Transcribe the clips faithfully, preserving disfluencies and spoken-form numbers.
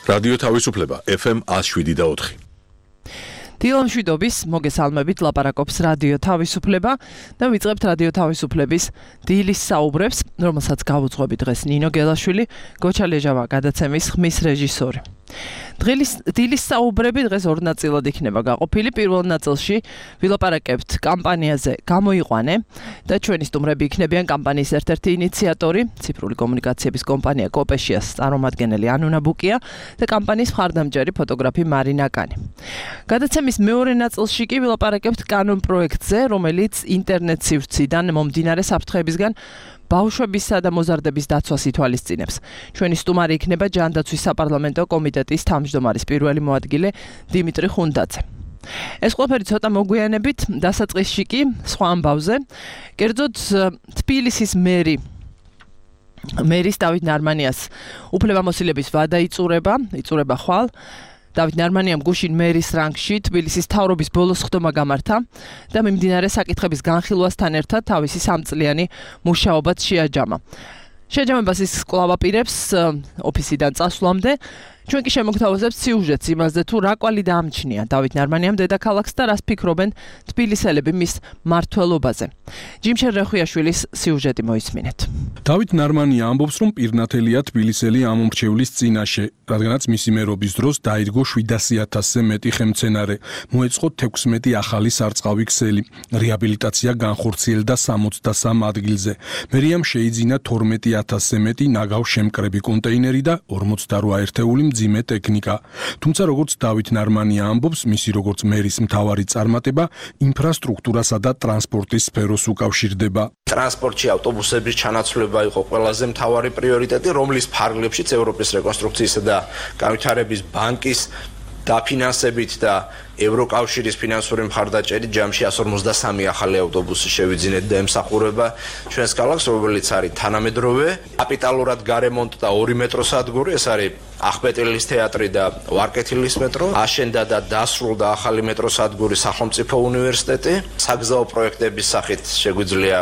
რადიო თავისუფლება ეფ ემ one oh seven და four. დილამშვიდობის მოგესალმებით ლაპარაკობს რადიო თავისუფლება და ვიწყებთ რადიო თავისუფლების დილის საუბრებს, რომელსაც გავუძღვები დღეს ნინო გელაშვილი, გოჩა ლეჟავა გადაცემის ხმის რეჟისორი. დღის დილის საუბრები დღეს ორ ნაწილად იქნება გაყოფილი. პირველ ნაწილში ვილაპარაკებთ კამპანიაზე გამოიყვანე და ჩვენი სტუმრები იქნებიან კამპანიის ერთ-ერთი ინიციატორი, ციფრული კომუნიკაციების კომპანია კოპეშიას წარმომადგენელი ანუნა ბუკია და კამპანიის მხარდამჭერი ფოტოგრაფი მარინა კანი. გადაცემის მეორე ნაწილში კი ვილაპარაკებთ კანონ პროექტზე, რომელიც ინტერნეტ სივრციდან მომდინარე საფრთხეებისგან ბავშვებისა და მოზარდების დაცვას ითვალისწინებს. ჩვენი სტუმარი იქნება ჯანდაცვის საპარლამენტო კომიტეტის თავმჯდომარის პირველი მოადგილე დიმიტრი ხუნდაძე. ეს ყველაფერი ცოტა მოგვიანებით, დასაწყისში კი სხვა ამბავზე. კერძოდ თბილისის მერი მერის დავით ნარმანიას უფლებამოსილების ვადა იწურება, იწურება ხვალ. დავით ნარმანიამ გუშინ მერის რანგში თბილისის მთავრობის ბოლოს ხდომა გამართა და მიმდინარე საკითხების განხილვასთან ერთად თავისი სამწლიანი მუშაობაც შეაჯამა. შეჯამებას ის კვლავ აპირებს ოფისიდან წასვლამდე. ჩვენ კი შემოგთავაზებთ სიუჟეტს იმაზე, თუ რა კვალი დაამჩნია დავით ნარმანიამ დედაქალაქს და რას ფიქრობენ თბილისელები მის მმართველობაზე. ჯიმშენ რეხვიაშვილის სიუჟეტი მოისმინეთ. დავით ნარმანია ამბობს, რომ პირნათელია თბილისელი ამომრჩევლის წინაშე, რადგანაც მისი მერობის დროს დაირგო შვიდასი ათასზე მეტი ხელმძენარე, მოეწყო თექვსმეტი ახალი სარწყავი ქსელი, რეაბილიტაცია განხორციელდა სამოცდასამ ადგილზე. მერიამ შეიძინა თორმეტი ათასზე მეტი ნაგავ-შემკრები კონტეინერი და ორმოცდარვა ერთეული მძიმე ტექნიკა. თუმცა როგორც დავით ნარმანია ამბობს, მისი როგორც მერის მთავარი წარმატება ინფრასტრუქტურასა და ტრანსპორტის სფეროს უკავშირდება. ტრანსპორტში ავტობუსების ჩანაცვლება იყო ყველაზე მთავარი პრიორიტეტი, რომლის ფარგლებშიც ევროპის რეკონსტრუქციისა და განვითარების ბანკის დაფინანსებით და ევროკავშირის ფინანსური მხარდაჭერით ჯამში one forty-three ახალი ავტობუსი შევიძინეთ და ემსახურება ჩვენს ქალაქს, რომელიც არის თანამედროვე, კაპიტალურად გარემონტ და ორი მეტროსადგური, ეს არის ახპეტილის თეატრი და ვარკეთილის მეტრო, აშენდა და დასრულდა ახალი მეტროსადგური სახელმწიფო უნივერსიტეტი, საგზაო პროექტების სახით შეგვიძლია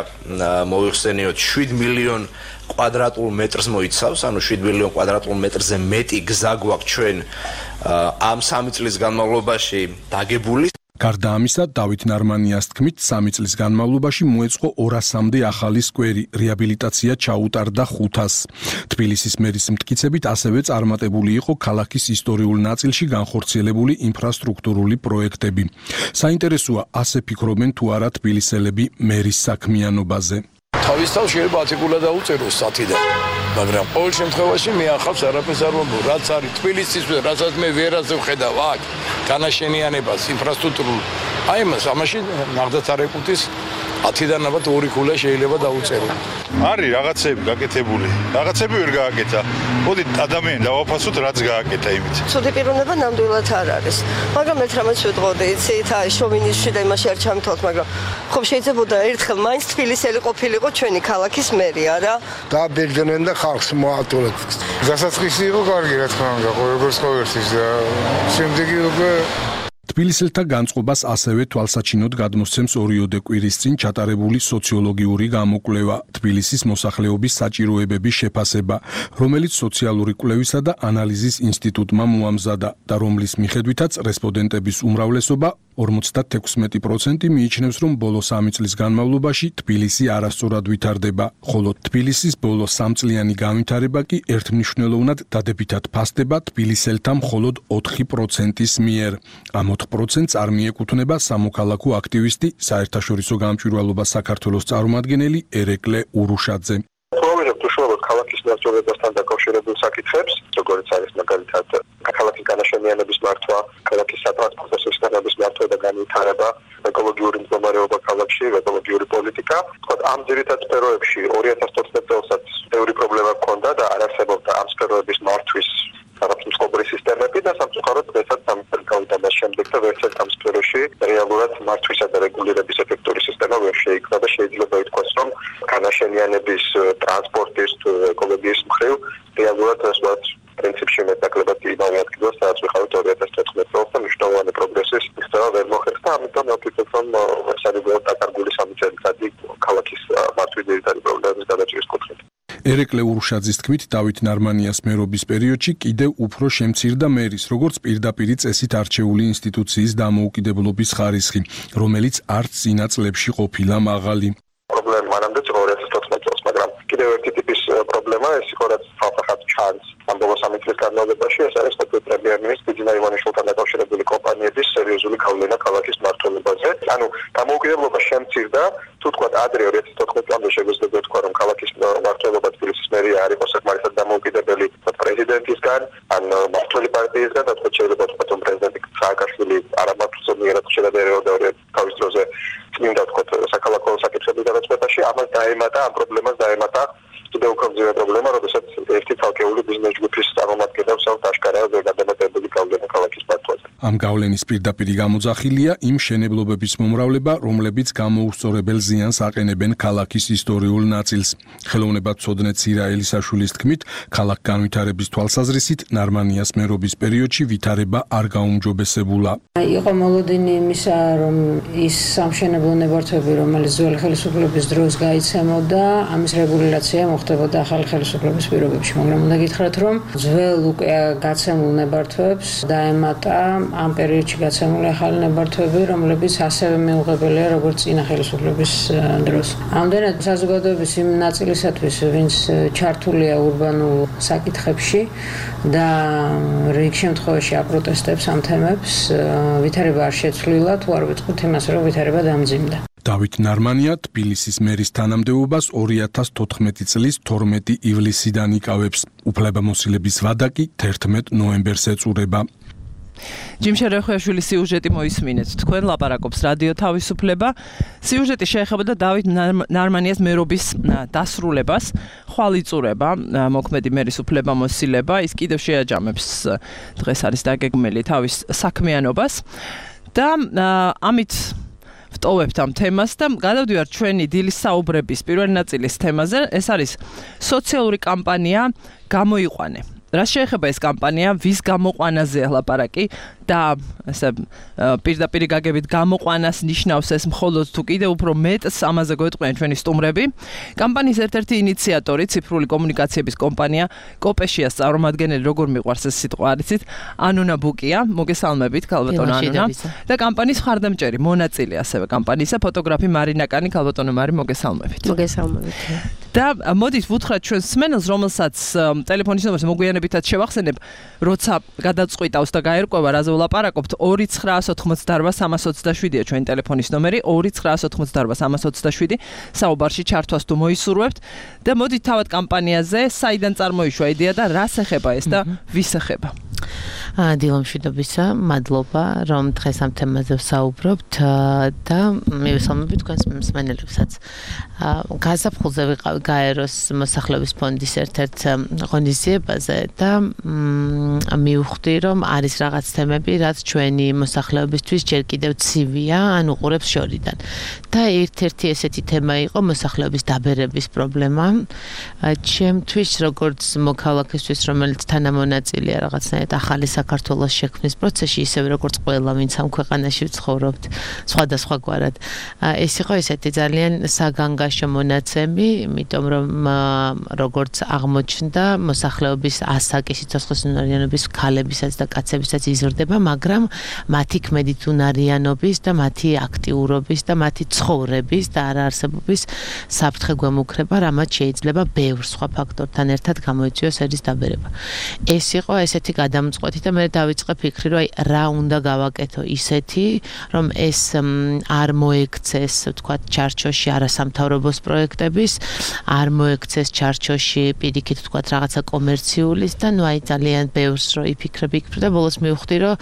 მოიხსენიოთ შვიდ მილიონ კვადრატულ მეტრს მოიცავს, ანუ შვიდ მილიონ კვადრატულ მეტრზე მეტი გზა გვაქვს ჩვენ ამ სამი წლის განმავლობაში დაგებული. გარდა ამისა, დავით ნარმანიას თქმით, სამი წლის განმავლობაში მოეწყო ორასამდე ახალი სკვერი, რეაბილიტაცია ჩაუტარდა ხუთას. თბილისის მერის მტკიცებით ასევე წარმატებული იყო ქალაქის ისტორიულ ნაწილში განხორციელებული ინფრასტრუქტურული პროექტები. საინტერესოა, ასე ფიქრობენ თუ არა თბილისელები მერის საქმიანობაზე. თავისთავად შეიძლება ათიკულად დაუწეროს სათიდან, მაგრამ ყოველ შემთხვევაში მე ახავს არაფერს არ ვამბობ, რაც არის თბილისისთვის, რასაც მე ვერაზე ვხედავ აქ განაშენიანებას, ინფრასტრუქტურულ. აი მას ამაში ნახდათ არ ეკუთის ათიდან ალბათ ორი ქულა შეიძლება დაუწერო. არის რაღაცები გაკეთებული, რაღაცები ვერ გააკეთა. მოდი ადამიანი დავაფასოთ, რაც გააკეთა იმით. ცუდი პიროვნება ნამდვილად არ არის, მაგრამ ერთ რამაც ვიტყოდი, იცით, აი შოვინიზმში და იმაში არ ჩამთავრდით, მაგრამ ხო შეიძლებოდა ერთხელ მაინც თბილისელი ყოფილიყო ჩვენი ქალაქის მერი, არა? დააბერძდნენ და ხალხს მოატოლეთ. დასაწყისი იყო კარგი, რა თქმა უნდა, როგორც ყოველთვის და შემდეგი უკვე თბილისელთა განწყობას ასევე თვალსაჩინოდ გადმოსცემს ორიოდე კვირის წინ ჩატარებული სოციოლოგიური გამოკვლევა თბილისის მოსახლეობის საჭიროებების შეფასება, რომელიც სოციალური კვლევისა და ანალიზის ინსტიტუტმა მოამზადა და რომლის მიხედვითაც რესპონდენტების უმრავლესობა ორმოცდათექვსმეტი პროცენტი მიიჩნევს, რომ ბოლო სამი წლის განმავლობაში თბილისი არასწორად ვითარდება, ხოლო თბილისის ბოლო სამწლიანი განვითარება კი ერთმნიშვნელოვნად დადებითად ფასდება თბილისელთა მხოლოდ ოთხი პროცენტის მიერ. ამ ოთხ პროცენტს არ მიეკუთვნება სამოქალაქო აქტივისტი, საერთაშორისო გამჭვირვალობა საქართველოს წარმომადგენელი ერეკლე ურუშაძე. ვამბობთ უშუალოდ ქალაქის მმართველობასთან დაკავშირებულ საკითხებს, როგორც არის მაგალითად ქალაქის განაშენიანების მართვა, ქალაქის სატრანსპორტო სისტემების მართვა და განვითარება, ეკოლოგიური მდგომარეობა ქალაქში, ეკოლოგიური პოლიტიკა. თქო, ამ ძირითად სფეროებში ორი ათას თოთხმეტ წელსაც ბევრი პრობლემა ჰქონდა და არ არსებობდა ამ სფეროების მართვის რაღაც მსხვერპლი სისტემები და სამწუხაროდ დღესაც სამი წელი გავიდა მას შემდეგ და ვერცერთ ამ სფეროში რეალურად მართვისა და რეგულირების ეფექტური სისტემა ვერ შეიქმნა და შეიძლება ითქვას, რომ განაშენიანების, ტრანსპორტის, ეკოლოგიის მხრივ რეალურად ასვათ პრინციპში მეტაკლებად იმავე ადგილას, სადაც ვიხავთ ორი ათას თოთხმეტ წელს და მნიშვნელოვანი პროგრესის მიღწევა ვერ მოხერხდა და ამიტომ ვფიქრობ, რომ ეს არის დაკარგული სამი წელიწადი ქალაქის მართვის ძირითადი პრობლემების გადაჭრის კუთხით. ერეკლე ურუშაძის თქმით, დავით ნარმანიას მერობის პერიოდში კიდევ უფრო შემცირდა მერის, როგორც პირდაპირი წესით არჩეული ინსტიტუციის დამოუკიდებლობის ხარისხი, რომელიც არც წინა წლებში ყოფილა მაღალი. პრობლემა მანამდე ორი ათას თოთხმეტ წელს, მაგრამ კიდევ ერთი ტიპის პრობლემა ეს იყო, რაც საფრთხად ჩანს ამ ბოლო სამი წლის განმავლობაში, ეს არის ყოფილი პრემიერ-მინისტრი ბიძინა ივანიშვილთან დაკავშირებული კომპანიების სერიოზული გავლენა ქალაქის მმართველობაზე. ანუ დამოუკიდებლობა შემცირდა, თუ თქვა ადრე ორი ათას თოთხმეტ წლამდე შეგვიძლია თქვა, რომ ქალაქის მმართველობა თბილისის მერია არ იყო საკმარისად დამოუკიდებელი პრეზიდენტისგან, ან მმართველი პარტიისგან, და თქვა შეიძლება თქვა, რომ პრეზიდენტი სააკაშვილი არამართლმსაჯულიერად შედარებოდა თავის დროზე წმინდა თქვა საქალაქო საკითხების გადაწყვეტაში, ამას დაემატა, ამ პრობლემას დაემატა კიდევ უფრო მძიმე პრობლემა, როდესაც ერთი თალკეული ბიზნეს ჯგუფის წარმომადგენლებს აქვს აშკარად გადამეტებული გავლენა ქალაქის მმართველზე. ამ გავლენის პირდაპირი გამოძახილია იმ მშენებლობების მომრავლება, რომლებიც გამოუსწორებელ ზიანს აყენებენ ქალაქის ისტორიულ ნაწილს. ხელოვნებაცოდნე ცირა ელისაშვილის თქმით, ქალაქ განვითარების თვალსაზრისით ნარმანიას მერობის პერიოდში ვითარება არ გაუმჯობესებულა. იყო მოლოდინი იმისა, რომ ის სამშენებლო ნებართვები, რომელიც ძველი ხელისუფლების დროს გაიცემოდა, ამის რეგულაცია მოხდებოდა ახალი ხელისუფლების პირობებში, მაგრამ უნდა გითხრათ, რომ ძველ უკვე გაცემულ ნებართვებს დაემატა ამ პერიოდში გაცემული ახალი ნებართვები, რომლებიც ასევე მიუღებელია როგორც წინა ხელისუფლების დროს. ამდენად საზოგადოების იმ ნაწილისათვის, ვინც ჩართულია ურბანულ საკითხებში და რიგ შემთხვევაში აპროტესტებს ამ თემებს, ვითარება არ შეცვლილა, თუ არ ვიტყვით იმას, რომ ვითარება დამძიმდა. დავით ნარმანია თბილისის მერის თანამდებობას ორი ათას თოთხმეტი წლის თორმეტი ივლისიდან იკავებს. უფლებამოსილების ვადა კი თერთმეტ ნოემბერს ეწურება. ჯიმშა რეხუაშვილის სიუჟეტი მოისმინეთ. თქვენ ლაპარაკობს რადიო თავისუფლება. სიუჟეტი შეეხებოდა დავით ნარმანიას მერობის დასრულებას, ხვალიწურება, მოქმედი მერის უფლებამოსილება. ის კიდევ შეაჯამებს დღეს არის დაგეგმილი თავის საქმიანობას და ამით ვტოვებთ ამ თემას და გადავდივართ ჩვენი დილის საუბრების პირველი ნაწილის თემაზე. ეს არის სოციალური კამპანია გამოიყვანე. რა შეეხება ეს კამპანია, ვის გამოყვანაზეა ლაპარაკი და ესე პირდაპირი გაგებით გამოყვანას ნიშნავს ეს მხოლოდ თუ კიდევ უფრო მეტს ამაზე გვეტყვიან ჩვენი სტუმრები. კამპანიის ერთ-ერთი ინიციატორი, ციფრული კომუნიკაციების კომპანია კოპეშიას წარმომადგენელი, როგორ მიყვარს ეს სიტყვა არიცით, ანუნა ბუკია, მოგესალმებით ქალბატონო ანუნა. და კამპანიის მხარდამჭერი, მონაწილე ასევე კამპანიისა, ფოტოგრაფი მარინა კანი, ქალბატონო მარი, მოგესალმებით. მოგესალმებით. და მოდით ვუთხრათ ჩვენს მსმენელს, რომელსაც ტელეფონის ნომერს მოგვიანებითაც შევახსენებ, როცა გადაწყვიტავს და გაერკვევა რაზე ვლაპარაკობთ, ორი ცხრაას ოთხმოცდაარბა სამას ოცდაშვიდია ჩვენი ტელეფონის ნომერი, ორი ცხრაას ოთხმოცდაარბა სამას ოცდაშვიდი, საუბარში ჩართვას თუ მოისურვებთ და მოდით თავად კამპანიაზე, საიდან წარმოიშვა იდეა და რას ეხება ეს და ვის ეხება? დილომშვიდობისა, მადლობა, რომ დღეს ამ თემაზე ვსაუბრობთ და მივესალმებით თქვენს მსმენელებსაც. გაზაფხულზე ვიყავი გაეროს მოსახლეობის ფონდის ერთ-ერთ ღონისძიებაზე და მივხვდი, რომ არის რაღაც თემები, რაც ჩვენი მოსახლეობისთვის ჯერ კიდევ ცივია, ან უყურებს შორიდან. და ერთ-ერთი ესეთი თემა იყო მოსახლეობის დაბერების პრობლემა. ჩემთვის, როგორც მოქალაქისთვის, რომელიც თანამონაწილეა რაღაცნაირად ახალი საქართველოს შექმნის პროცესში, ისევე როგორც ყველა, ვინც ამ ქვეყანაში ვცხოვრობთ, სხვადასხვაგვარად. ეს იყო ესეთი ძალიან საგანგაშო მონაცემი, იმიტომ რომ როგორც აღმოჩნდა, მოსახლეობის ასაკი სიცოცხლის უნარიანობის ქალებისაც და კაცებისაც იზრდება, მაგრამ მათი ქმედით უნარიანობის და მათი აქტიურობის და მათი ცხოვრების და არაარსებობის საფრთხე გვემუქრება, რამაც შეიძლება ბევრ სხვა ფაქტორთან ერთად გამოიწვიოს ერის დაბერება. ეს იყო ესეთი გადამწყვეტი და მე დავიწყე ფიქრი, რომ აი რა უნდა გავაკეთო ისეთი, რომ ეს არ მოექცეს, ვთქვათ, ჩარჩოში არასამთავრობოს პროექტების, არ მოექცეს ჩარჩოში პირიქით, ვთქვათ, რაღაცა კომერციulis და ნუ აი ძალიან ბევრს რო იფიქრებ, იფიქრებ და ბოლოს მივხვდი, რომ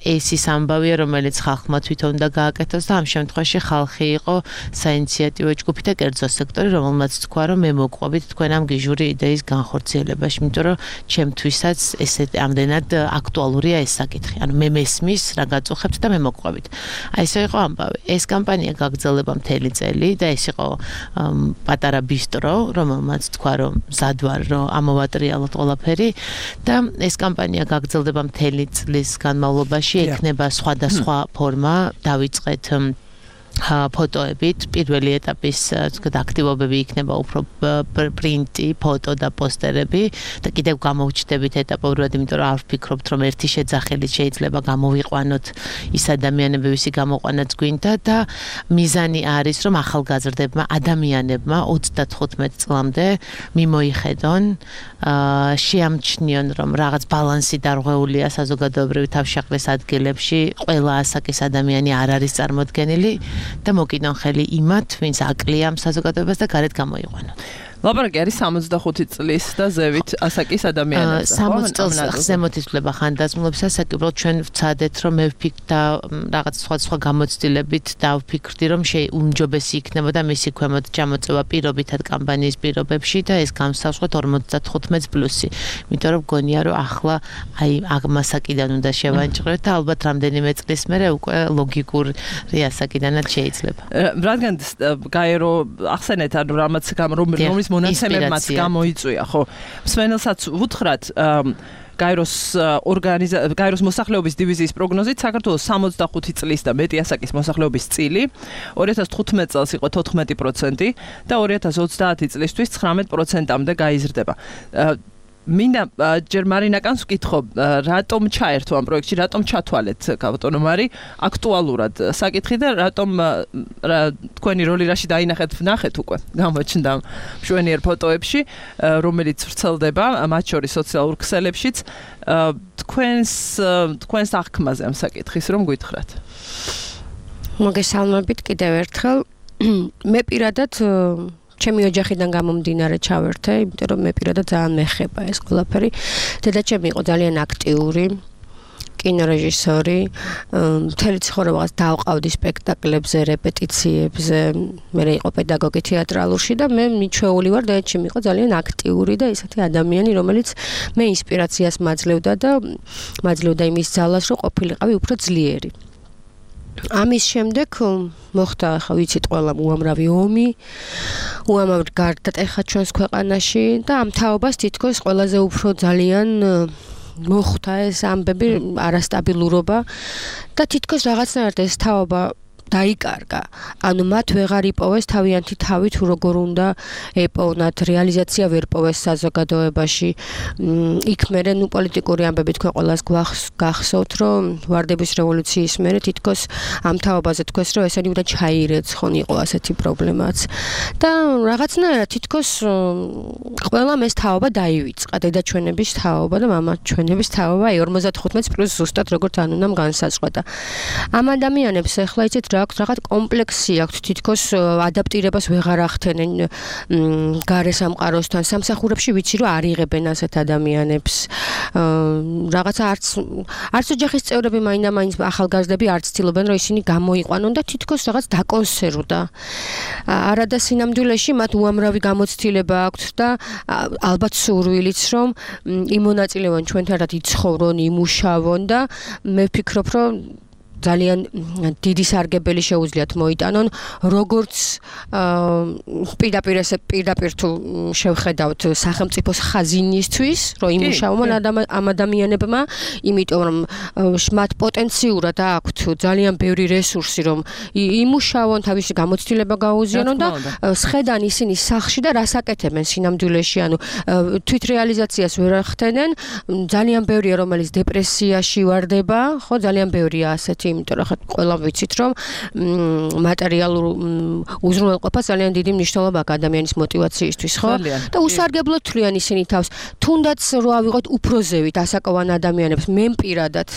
ეს ის ამბავია, რომელიც ხალხმა თვითონ უნდა გააკეთოს და ამ შემთხვევაში ხალხი იყო საინიციატივო ჯგუფი და კერძო სექტორი, რომელმაც თქვა, რომ მე მოყვებით თქვენ ამ გიჟური იდეის განხორციელებაში, იმიტომ რომ ჩემთვისაც ესე ამდენად აქტუალურია ეს საკითხი. ანუ მე მესმის რა გაწუხებთ და მე მოყვებით. აი ესე იყო ამბავი. ეს კამპანია გაგრძელება მთელი წელი და ეს იყო პატარა ბისტრო, რომელმაც თქვა, რომ მზად ვარ, რომ ამოვატრიალოთ ყველაფერი და ეს კამპანია გაგრძელდება მთელი წლის განმავლობაში, ექნება სხვადასხვა ფორმა, დავიწყეთ ფოტოებით პირველი ეტაპის თქვათ აქტივობები იქნება უფრო პრინტი, ფოტო და პოსტერები და კიდევ გამოვჩნდებით ეტაპობრივად, იმიტომ რომ არ ვფიქრობთ რომ ერთი შეძახილით შეიძლება გამოვიყვანოთ ის ადამიანები, ვისი გამოყვანაც გვინდა და მიზანი არის რომ ახალგაზრდებმა ადამიანებმა ოცდათხუთმეტ წლამდე მიმოიხედონ, შეამჩნიონ რომ რაღაც ბალანსი დარღვეულია საზოგადოებრივი თავშეყრის ადგილებში, ყველა ასაკის ადამიანი არ არის წარმოდგენილი და მოკიდონ ხელი იმათ, ვინც აკლია საზოგადოებას და გარეთ გამოიყვანონ. ლაპარაკი არის სამოცდახუთი წლის და ზევით ასაკის ადამიანებზე. სამოცი წელს ზემოთ იცვლება ხანდაზმულობის ასაკი, უბრალოდ ჩვენ ვცადეთ რომ მე ვფიქრ და რაღაც სხვა სხვა გამოცდილებით დავფიქრდი რომ შეუმჯობესი იქნებოდა მისი ქვემოთ ჩამოწევა პირობითად კამპანიის პირობებში და ეს გამსავსოთ ორმოცდათხუთმეტ პლუსი. იმიტომ რომ გონია რომ ახლა აი აღმასაკიდან უნდა შევანჭროთ და ალბათ რამდენიმე წლის მერე უკვე ლოგიკური ასაკიდანაც შეიძლება. რადგან გაერო ახსენეთ ანუ რამაც რომლის მონაცემებმაც გამოიწვია, ხო. მსმენელსაც უთხრათ გაეროს ორგანიზა გაეროს მოსახლეობის დივიზიის პროგნოზით საქართველოს სამოცდახუთი წლის და მეტი ასაკის მოსახლეობის წილი ორი ათას თხუთმეტ წელს იყო თოთხმეტი პროცენტი და ორი ათას ოცდაათი წლისთვის ცხრამეტ პროცენტამდე გაიზრდება. მინდა ჯერ მარინაკანს ვკითხო, რატომ ჩაერთო ამ პროექტში, რატომ ჩათვალეთ ბატონო მარი აქტუალურად საკითხი და რატომ თქვენი როლი რაში დაინახეთ, ვნახეთ უკვე გამოჩნდა მშვენიერ ფოტოებში, რომელიც ვრცელდება მათ შორის სოციალურ ქსელებშიც. თქვენს თქვენს აღქმაზე ამ საკითხის რომ გითხრათ. მოგესალმებით კიდევ ერთხელ. მე პირადად ჩემი ოჯახიდან გამომდინარე ჩავერთე, იმიტომ რომ მე პირადად ძალიან მეხება ეს ყველაფერი. დედაჩემი იყო ძალიან აქტიური კინორეჟისორი, მთელი ცხოვრებაც დავყავდი სპექტაკლებზე, რეპეტიციებზე, მე იყო პედაგოგი თეატრალურში და მე მიჩვეული ვარ, დედაჩემი იყო ძალიან აქტიური და ისეთი ადამიანი, რომელიც მე ინსპირაციას მაძლევდა და მაძლევდა იმის ძალას, რომ ყოფილიყავი უფრო ძლიერი. ამის შემდეგ მოხდა, ახლა ვიცით ყველამ უამრავი ომი, უამრავი გარდატეხა ჩვენს ქვეყანაში და ამ თაობას თითქოს ყველაზე უფრო ძალიან მოხდა ეს ამბები, არასტაბილურობა და თითქოს რაღაცნაირად ეს თაობა დაიკარგა. ანუ მათ ვეღარ იპოვეს თავიანთი თავი თუ როგორ უნდა ეპოვნათ, რეალიზაცია ვერ პოვეს საზოგადოებაში. იქ მერე ნუ პოლიტიკური ამბები თქვენ ყველას გახსოვთ, რომ ვარდების რევოლუციის მერე თითქოს ამ თაობაზე თქვეს, რომ ესენი უნდა ჩაირეცხონ, იყო ასეთი პრობლემაც. და რაღაცნაირად თითქოს ყველამ ეს თაობა დაივიწყა, დედაჩვენების თაობა და მამაჩვენების თაობა, აი ორმოცდათხუთმეტ პლუს ზუსტად როგორც ან უნდა განსაზღვრა. ამ ადამიანებს ახლა იცით აქვს რაღაც კომპლექსი აქვს, თითქოს ადაპტირებას ვეღარ ახდენენ გარე სამყაროსთან. სამსახურებში ვიცი რომ არ იღებენ ასეთ ადამიანებს. რაღაცა არც არც ოჯახის წევრები მაინდა-მაინც ახალგაზრდები არც ცდილობენ რომ ისინი გამოიყვანონ და თითქოს რაღაც დაკონსერვდა. არადა სინამდვილეში მათ უამრავი გამოცდილება აქვთ და ალბათ სურვილიც რომ იმონაწილეონ ჩვენთან ერთად იცხოვრონ, იმუშავონ და მე ვფიქრობ რომ ძალიან დიდი სარგებელი შეუძლიათ მოიტანონ, როგორც პირდაპირ ესე პირდაპირ თუ შევხედავთ სახელმწიფოს ხაზინისთვის, რომ იმუშაონ ამ ადამიანებმა, იმიტომ რომ მათ პოტენციურად აქვთ ძალიან ბევრი რესურსი, რომ იმუშაონ, თავისი გამოცდილება გაუზიარონ და სხედან ისინი სახში და რას აკეთებენ სინამდვილეში, ანუ თვით რეალიზაციას ვერ ახდენენ, ძალიან ბევრია რომელიც დეპრესიაში ვარდება, ხო, ძალიან ბევრია ასეთი, იმიტომ რომ ყველა ვიცით რომ მატერიალურ უზრუნველყოფას ძალიან დიდი მნიშვნელობა აქვს ადამიანის мотиваციისთვის, ხო? და უსარგებლოდ თვლიან ისინი თავს. თუნდაც რო ავიღოთ უფრო ზევით ასაკოვან ადამიანებს, მე პირადად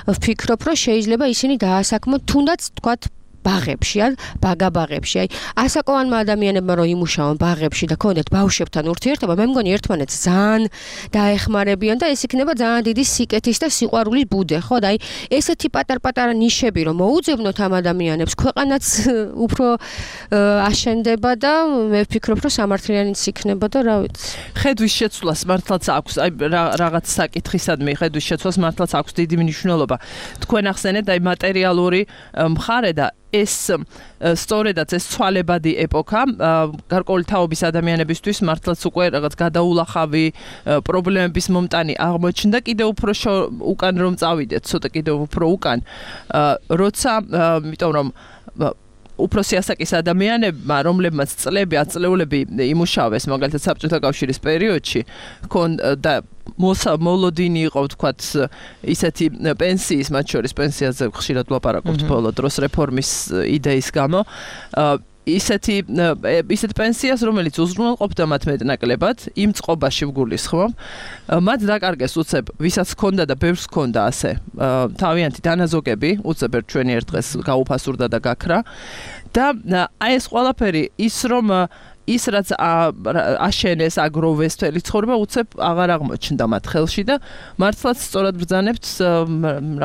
ვფიქრობ, რომ შეიძლება ისინი დაასაქმოთ თუნდაც თქვათ ბაღებში, ან ბაგაბაღებში. აი, ასაკოვანმა ადამიანებმა რომ იმუშაონ ბაღებში და ქონდეთ ბავშვებთან ურთიერთობა, მე მგონი ერთმანეთს ძალიან დაეხმარებიან და ეს იქნება ძალიან დიდი სიკეთის და სიყვარულის ბუდე, ხო? და აი, ესეთი პატარ-პატარა ნიშები რომ მოუძებნოთ ამ ადამიანებს, ქვეყანაც უფრო აშენდება და მე ვფიქრობ, რომ სამართლიანიც იქნება და რა ვიცი. ხედვის შეცვლას მართლაც აქვს, აი რაღაც საკითხისადმი ხედვის შეცვლას მართლაც აქვს დიდი მნიშვნელობა. თქვენ ახსენეთ აი მატერიალური მხარე და ეს სწორედაც ეს ცვალებადი ეპოქა გარკვეული თაობის ადამიანებისთვის მართლაც უკვე რაღაც გადაულახავი პრობლემების მომტანი აღმოჩნდა, კიდევ უფრო უკან რომ წავიდეთ, ცოტა კიდევ უფრო უკან, როცა იმიტომ რომ უფროსი ასაკის ადამიანებმა, რომლებმაც წლები, ათწლეულები იმუშავეს, მაგალითად საბჭოთა კავშირის პერიოდში, და მოლოდინი იყო, ვთქვათ, ისეთი პენსიის, მათ შორის პენსიაზე ხშირად ვლაპარაკობთ ბოლო დროს რეფორმის იდეის გამო, ისეთი ისეთ პენსიას, რომელიც უზრუნველყოფდა მათ მეტნაკლებად, იმ წყობაში ვგულისხმობ, მათ დაკარგეს უცებ, ვისაც ჰქონდა და ბევრს ჰქონდა ასე, თავიანთი დანაზოგები, უცებ ერთ ჩვენი ერთ დღეს გაუფასურდა და გაქრა და აი ეს ყველაფერი ის რომ ის რაც აშენეს, აგროვეს მთელი ცხოვრება უცებ აღარ აღმოჩნდა მათ ხელში და მართლაც სწორად ბრძანებთ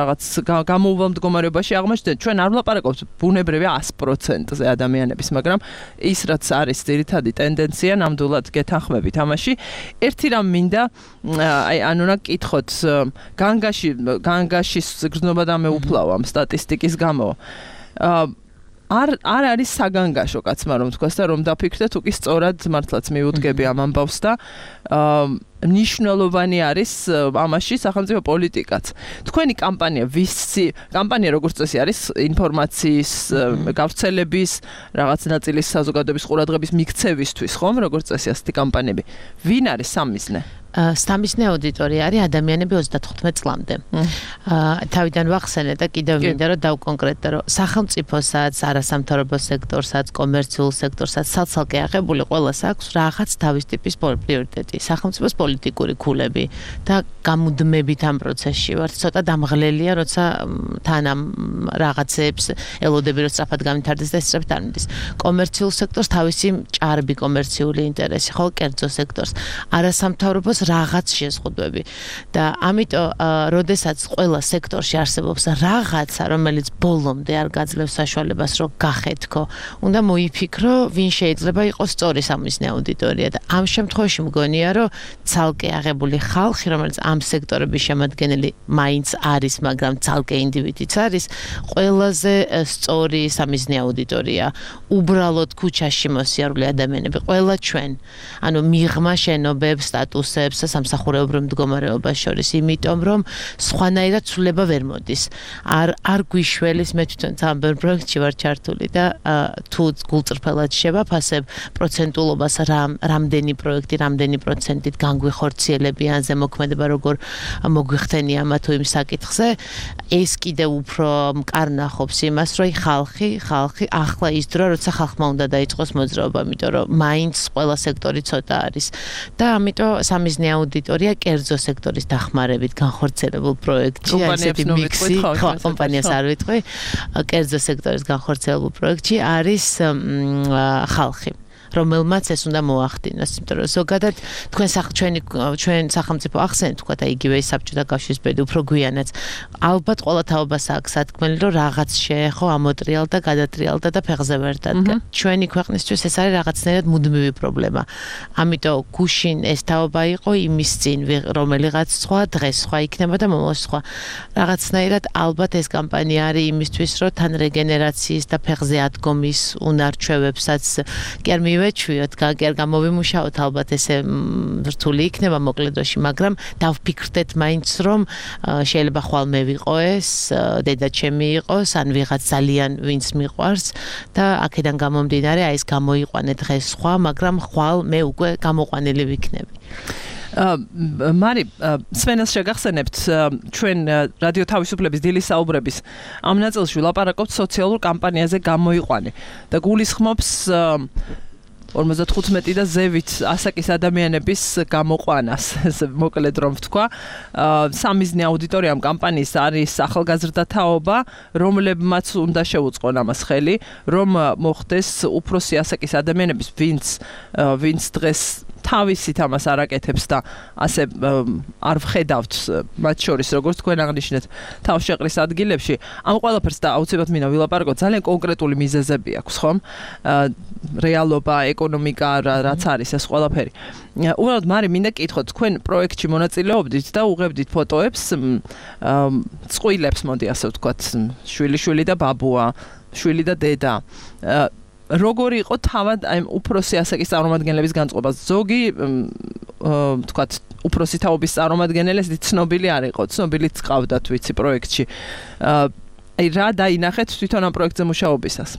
რაღაც გამოუვალ მდგომარეობაში აღმოჩნდა. ჩვენ არ ვლაპარაკობთ ბუნებრივია one hundred percent-ზე ადამიანების, მაგრამ ის რაც არის ძირითადი ტენდენცია, ნამდვილად გეთანხმებით ამაში. ერთი რამ მინდა, აი ანუ რა გკითხოთ, განგაში განგაშის გრძნობა და მეუფლავა ამ სტატისტიკის გამო. არ არ არის საგანგაშო კაცმა რომ თქვას და რომ დაფიქრდეთ, უკი სწორად მართლაც მიუდგები ამ ამბავს და მნიშვნელოვანი არის ამაში სახელმწიფო პოლიტიკაც. თქვენი კამპანია, ვისი კამპანია როგორც წესი არის ინფორმაციის გავრცელების, რაღაც ნაწილის საზოგადოების ყურადღების მიქცევისთვის, ხომ, როგორც წესი ასეთი კამპანიები. ვინ არის სამიზნე? სამიზნე აუდიტორია არის ადამიანები ოცდათხუთმეტ წლამდე. თავიდან ვახსენე და კიდევ მინდა რომ დავკონკრეტო, რომ სახელმწიფოსაც, არასამთავრობო სექტორსაც, კომერციულ სექტორსაც ცალ-ცალკე აღებული ყველას აქვს რაღაც თავის ტიპის პრიორიტეტი. სახელმწიფოს პოლიტიკური ქულები და გამუდმებით ამ პროცესში ვარ. ცოტა დამღლელია, როცა თან ამ რაღაცებს ელოდები რომ სწრაფად გამითარდეს და სწრაფად არ მიდის. კომერციულ სექტორს თავისი ჭარბი კომერციული ინტერესი, ხო, კერძო სექტორს, არასამთავრობოს რაღაც შეზღუდვები და ამიტომ როდესაც ყველა სექტორში არსებობს რაღაცა, რომელიც ბოლომდე არ გაძლევს საშუალებას რომ გახეთქო, უნდა მოიფიქრო, ვინ შეიძლება იყოს სწორი სამიზნე აუდიტორია და ამ შემთხვევაში მგონია, რომ ცალკე აღებული ხალხი, რომელიც ამ სექტორების შემადგენელი მაინც არის, მაგრამ ცალკე ინდივიდიც არის, ყველაზე სწორი სამიზნე აუდიტორია. უბრალოდ ქუჩაში მოსიარულე ადამიანები, ყველა ჩვენ, ანუ მიღმა შენობებს, სტატუსებს სამსახურეობრივ მდგომარეობას შორის, იმიტომ რომ სხვანაირად ცვლილება ვერ მოდის. არ არ გვიშველის, მე თვითონ ამ პროექტში ვარ ჩართული და თუ გულწრფელად შევაფასებ პროცენტულობას, რამ რამდენი პროექტი, რამდენი პროცენტით განგვიხორციელებიან, ზემოქმედება როგორ მოგვიხდენია ამა თუ იმ საკითხზე, ეს კიდევ უფრო მკარნახობს იმას, რომ ხალხი, ხალხი ახლა ის დრო, როცა ხალხმა უნდა დაიწყოს მოძრაობა, იმიტომ რომ მაინც ყველა სექტორი ცოტა არის და ამიტომ სამიზნე აუდიტორია კერძო სექტორის დახმარებით განხორციელებულ პროექტში, ასეთი მიქსი, კომპანიას არ ვიტყვი, კერძო სექტორის განხორციელებულ პროექტში არის ხალხი, რომელმაც ეს უნდა მოახდინოს, იმიტომ რომ ზოგადად თქვენ ჩვენი ჩვენ სახელმწიფო ახსენეთ, თქვა და იგივე საბჭოთა კავშირის პერიოდი უფრო გვიანაც, ალბათ ყველა თაობას აქვს სათქმელი, რომ რაღაც შეეხო, ამოტრიალდა, გადატრიალდა და ფეხზე ვერ დადგა. ჩვენი ქვეყნისთვის ეს არის რაღაცნაირად მუდმივი პრობლემა. ამიტომ გუშინ ეს თაობა იყო იმის წინ, რომელიღაც სხვა დღეს სხვა იქნება და მომავალ სხვა. რაღაცნაირად ალბათ ეს კამპანია არის იმისთვის, რომ თან რეგენერაციის და ფეხზე ადგომის უნარჩვევებსაც კი არ მივე ვეჩვიოთ, გაგერ გამოვიმუშაოთ, ალბათ ესე რთული იქნება მოკლედოში, მაგრამ დავფიქრდეთ მაინც რომ შეიძლება ხვალ მე ვიყო ეს, დედა ჩემი იყოს, ან ვიღაც ძალიან ვინც მიყვარს და აქედან გამომდინარე აი ეს გამოიყვანე დღეს სხვა, მაგრამ ხვალ მე უკვე გამოყვანილი ვიქნები. მარი, სვენელს შეგახსენებთ, ჩვენ რადიო თავისუფლების დილის საუბრების ამ ნაწილში ვლაპარაკობთ სოციალურ კამპანიაზე გამოიყვანე და გულისხმობს ორმოცდათხუთმეტი და ზევით ასაკის ადამიანების გამოყვანას, მოკლედ რომ ვთქვა, სამიზნე აუდიტორიამ კამპანიის არის ახალგაზრდა თაობა, რომლებმაც უნდა შეუწყონ ამას ხელი, რომ მოხდეს უფროსი ასაკის ადამიანების, ვინც ვინც დღეს თავისით ამას არაკეთებს და ასე არ ვხედავთ მათ შორის, როგორც თქვენ აღნიშნეთ, თავშეყრის ადგილებში. ამ ყველაფერს და აუცილებლად მინდა ვილაპარაკოთ, ძალიან კონკრეტული მიზეზები აქვს, ხომ? რეალობა, ეკონომიკა, რაც არის ეს ყველაფერი. უბრალოდ მარი მინდა გკითხოთ, თქვენ პროექტში მონაწილეობდით და უღებდით ფოტოებს, წყვილებს, მოდი ასე ვთქვათ, შვილი-შვილი და ბაბუა, შვილი და დედა. როგორი იყო თავად აი უფროსი ასაკის წარმომადგენლების განწყობა? ზოგი ვთქვათ, უფროსი თაობის წარმომადგენელი ცნობილი არ იყო, ცნობილიც ყავდათ ვიცი პროექტში. აი რა დაინახეთ თვითონ ამ პროექტზე მუშაობისას?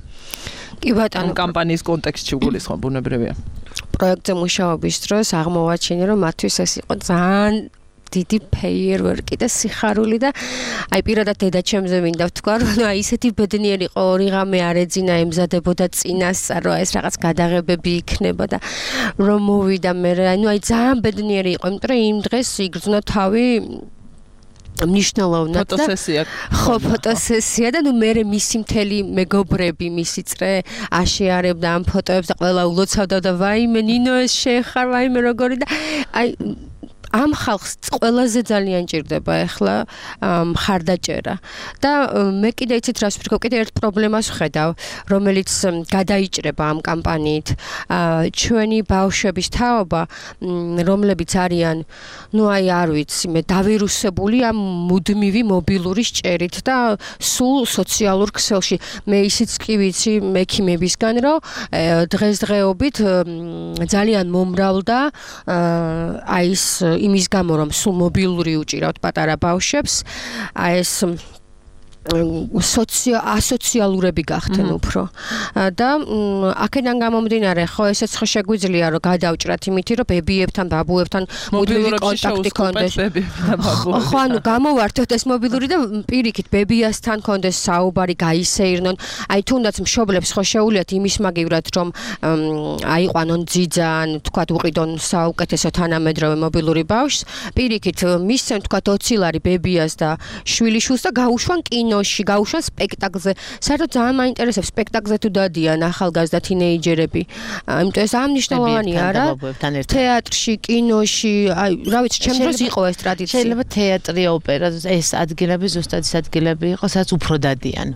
კი ბატონო, კამპანიის კონტექსტში გულისხმობ ბუნებრივია. პროექტზე მუშაობის დროს აღმოვაჩინე, რომ მათთვის ეს იყო ძალიან დიდი ფეიერვერკი და სიხარული და აი პირადად დედაჩემზე მინდა ვთქვა, რომ აი ისეთი ბედნიერი იყო, ორი ღამე არ ეძინა, ემზადებოდა წინასწარ, ეს რაღაც გადაღებები იქნება და რომ მოვიდა მე, ანუ აი ძალიან ბედნიერი იყო, იმიტომ რომ იმ დღეს იგრძნო თავი მნიშვნელოვნად და ფოტოსესია. ხო, ფოტოსესია და ნუ მე მისი მთელი მეგობრები, მისი წრე აშეარებდა ამ ფოტოებს და ყველა ულოცავდა და ვაიმე ნინო ეს შეხარ, ვაიმე როგორი და აი ამ ხალხს ყველაზე ძალიან ჭირდება ახლა მხარდაჭერა და მე კიდე იცით რას ვთქვი, კიდე ერთ პრობლემას ვხედავ, რომელიც გადაიჭრება ამ კამპანიით. ჩვენი ბავშვების თაობა, რომლებიც არიან, ну აი არ ვიცი, მე დავირუსებული ამ მუდმივი მობილური სჭერით და სულ სოციალურ ქსელში. მე ისიც კი ვიცი მექიმებისგან, რომ დღესდღეობით ძალიან მომრავლდა აი ეს იმის გამო რომ სულ მობილური უჭირავთ პატარა ბავშვებს, აი ეს სოციო ასოციალურები გახდნენ უფრო და აქედან გამომდინარე ხო ესეც ხო შეგვიძლია რომ გადავჭრათ იმითი რომ ბებიებთან ბაბუებთან მუდმივი კონტაქტი ქონდეს ხო ანუ გამოვართოთ ეს მობილური და პირიქით ბებიასთან ქონდეს საუბარი გაისეირნონ აი თუნდაც მშობლებს ხო შეუძლიათ იმის მაგივრად რომ აიყვანონ ძიძან თქვათ უყიდონ საუკეთესო თანამედროვე მობილური ბავშვს პირიქით მისცენ თქვათ ოცი ლარი ბებიას და შვილიშვილს და გაუშვან კინო გაუშვან სპექტაკლზე. საერთოდ ძალიან მაინტერესებს სპექტაკლზე თუ დადიან ახალგაზრდა თინეიჯერები. იმიტომ ეს ამნიშნულოვანია რა. თეატრში, კინოში, აი, რა ვიცი, ჩემ დროს იყო ეს ტრადიცია. შეიძლება თეატრი, ოპერა, ეს ადგილები ზუსტად ის ადგილები იყო, სადაც უფრო დადიან.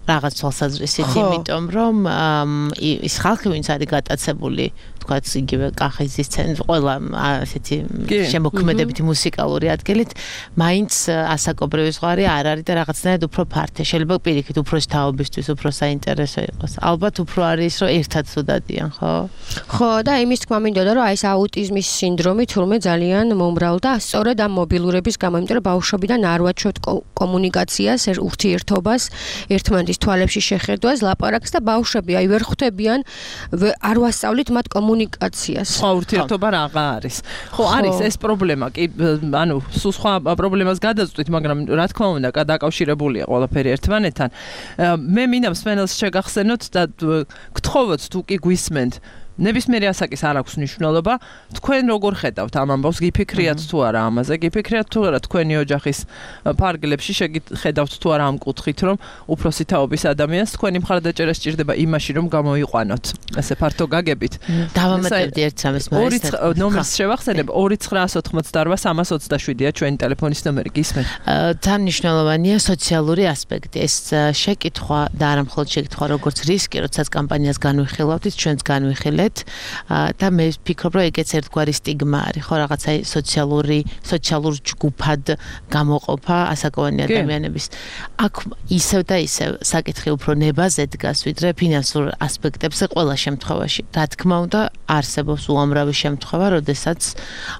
რაღაც თვალსაზრისით, იმიტომ რომ ის ხალხი ვინც არის გატაცებული თქვათ იგივე კახეთის ცენტრი ყველა ასეთი შემოქმედებითი მუსიკალური ადგილით მაინც ასაკობრივი ზღვარი არ არის და რაღაცნაირად უფრო ფართე შეიძლება პირიქით უფრო შთაობისთვის უფრო საინტერესო იყოს ალბათ უფრო არის რომ ერთად თუ დადიან ხო ხო და იმის თქმა მინდოდა რომ აი ეს აუტიზმის სინდრომი თურმე ძალიან მომრავლდა სწორედ ამ მობილურების გამო იმიტომ რომ ბავშვობიდან არ ვაჩვევთ კომუნიკაციას ურთიერთობას ერთმანეთის თვალებში შეხედვას ლაპარაკს და ბავშვები აი ვერ ხვდებიან არ ვასწავლით მათ კომუნიკაციას. ხო, ურთიერთობა რაღა არის. ხო, არის ეს პრობლემა, კი, ანუ სულ სხვა პრობლემას გადაწყვით, მაგრამ რა თქმა უნდა, დაკავშირებულია ყველაფერი ერთმანეთთან. მე მინდა მსმენელს შეგახსენოთ და გთხოვოთ თუ კი გვისმენთ ნებისმიერი ასაკის არ აქვს მნიშვნელობა, თქვენ როგორ ხედავთ ამ ამბავს, გიფიქრიათ თუ არა ამაზე, გიფიქრიათ თუ არა თქვენი ოჯახის ფარგლებში შეგხედავთ თუ არა ამ კუთხით, რომ უფროსი თაობის ადამიანს თქვენი მხარდაჭერა სჭირდება იმაში, რომ გამოიყვანოთ. ესე ფართო გაგებით. დავამატებდი ერთ სამის მაინც. ნომერს შევახსენებ ორი ცხრა ოცდაოთხი სამას ოცდაშვიდია ჩვენი ტელეფონის ნომერი, გისმენთ? ძალიან მნიშვნელოვანია სოციალური ასპექტი. ეს შეკითხვა და არა მხოლოდ შეკითხვა, როგორც რისკი, როდესაც კამპანიას განვიხილავთ, ჩვენც განვიხილეთ და მე ვფიქრობ, რომ ეგეც ერთგვარი სტიგმა არის, ხო, რაღაცა სოციალური, სოციალურ ჯგუფად გამოყოფა ასაკოვანი ადამიანების. აქ ისევ და ისევ საკითხი უფრო ნებაზე დგას, ვიდრე ფინანსურ ასპექტებზე ყველა შემთხვევაში. რა თქმა უნდა, არსებობს უამრავი შემთხვევა, როდესაც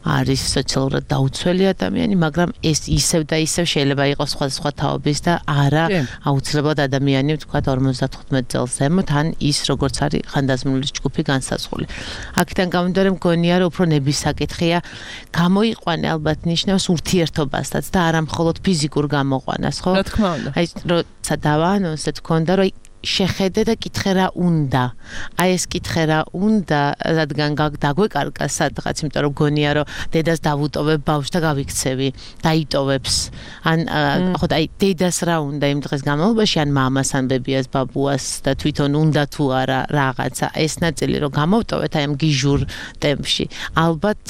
არის სოციალურად დაუცველი ადამიანი, მაგრამ ეს ისევ და ისევ შეიძლება იყოს სხვადასხვა თაობის და არა აუცილებლად ადამიანი, ვთქვათ, ორმოცდათხუთმეტ წელს ზემოთ, ან ის როგორც არის ხანდაზმული ჯგუფი განსაზღვრული. აქედან გამომდინარე მგონია რომ უფრო ნების საკითხია გამოიყვანე ალბათ ნიშნავს ურთიერთობასაც და არა მხოლოდ ფიზიკურ გამოყვანას ხო? რა თქმა უნდა. აი როცა დავაანონსე თქონდა რომ შეხედე და კითხე რა უნდა. აი ეს კითხე რა უნდა, რადგან დაგვეკარგა სადღაც, იმიტომ რომ გონია რომ დედას დავუტოვებ ბავშვს და გავიქცევი, დაიტოვებს. ან ხო და აი დედას რა უნდა იმ დღეს განმავლობაში, ან მამას, ან ბებიას, ბაბუას და თვითონ უნდა თუ არა რაღაცა. ეს ნაწილი რომ გამოვტოვეთ აი ამ გიჟურ ტემპში. ალბათ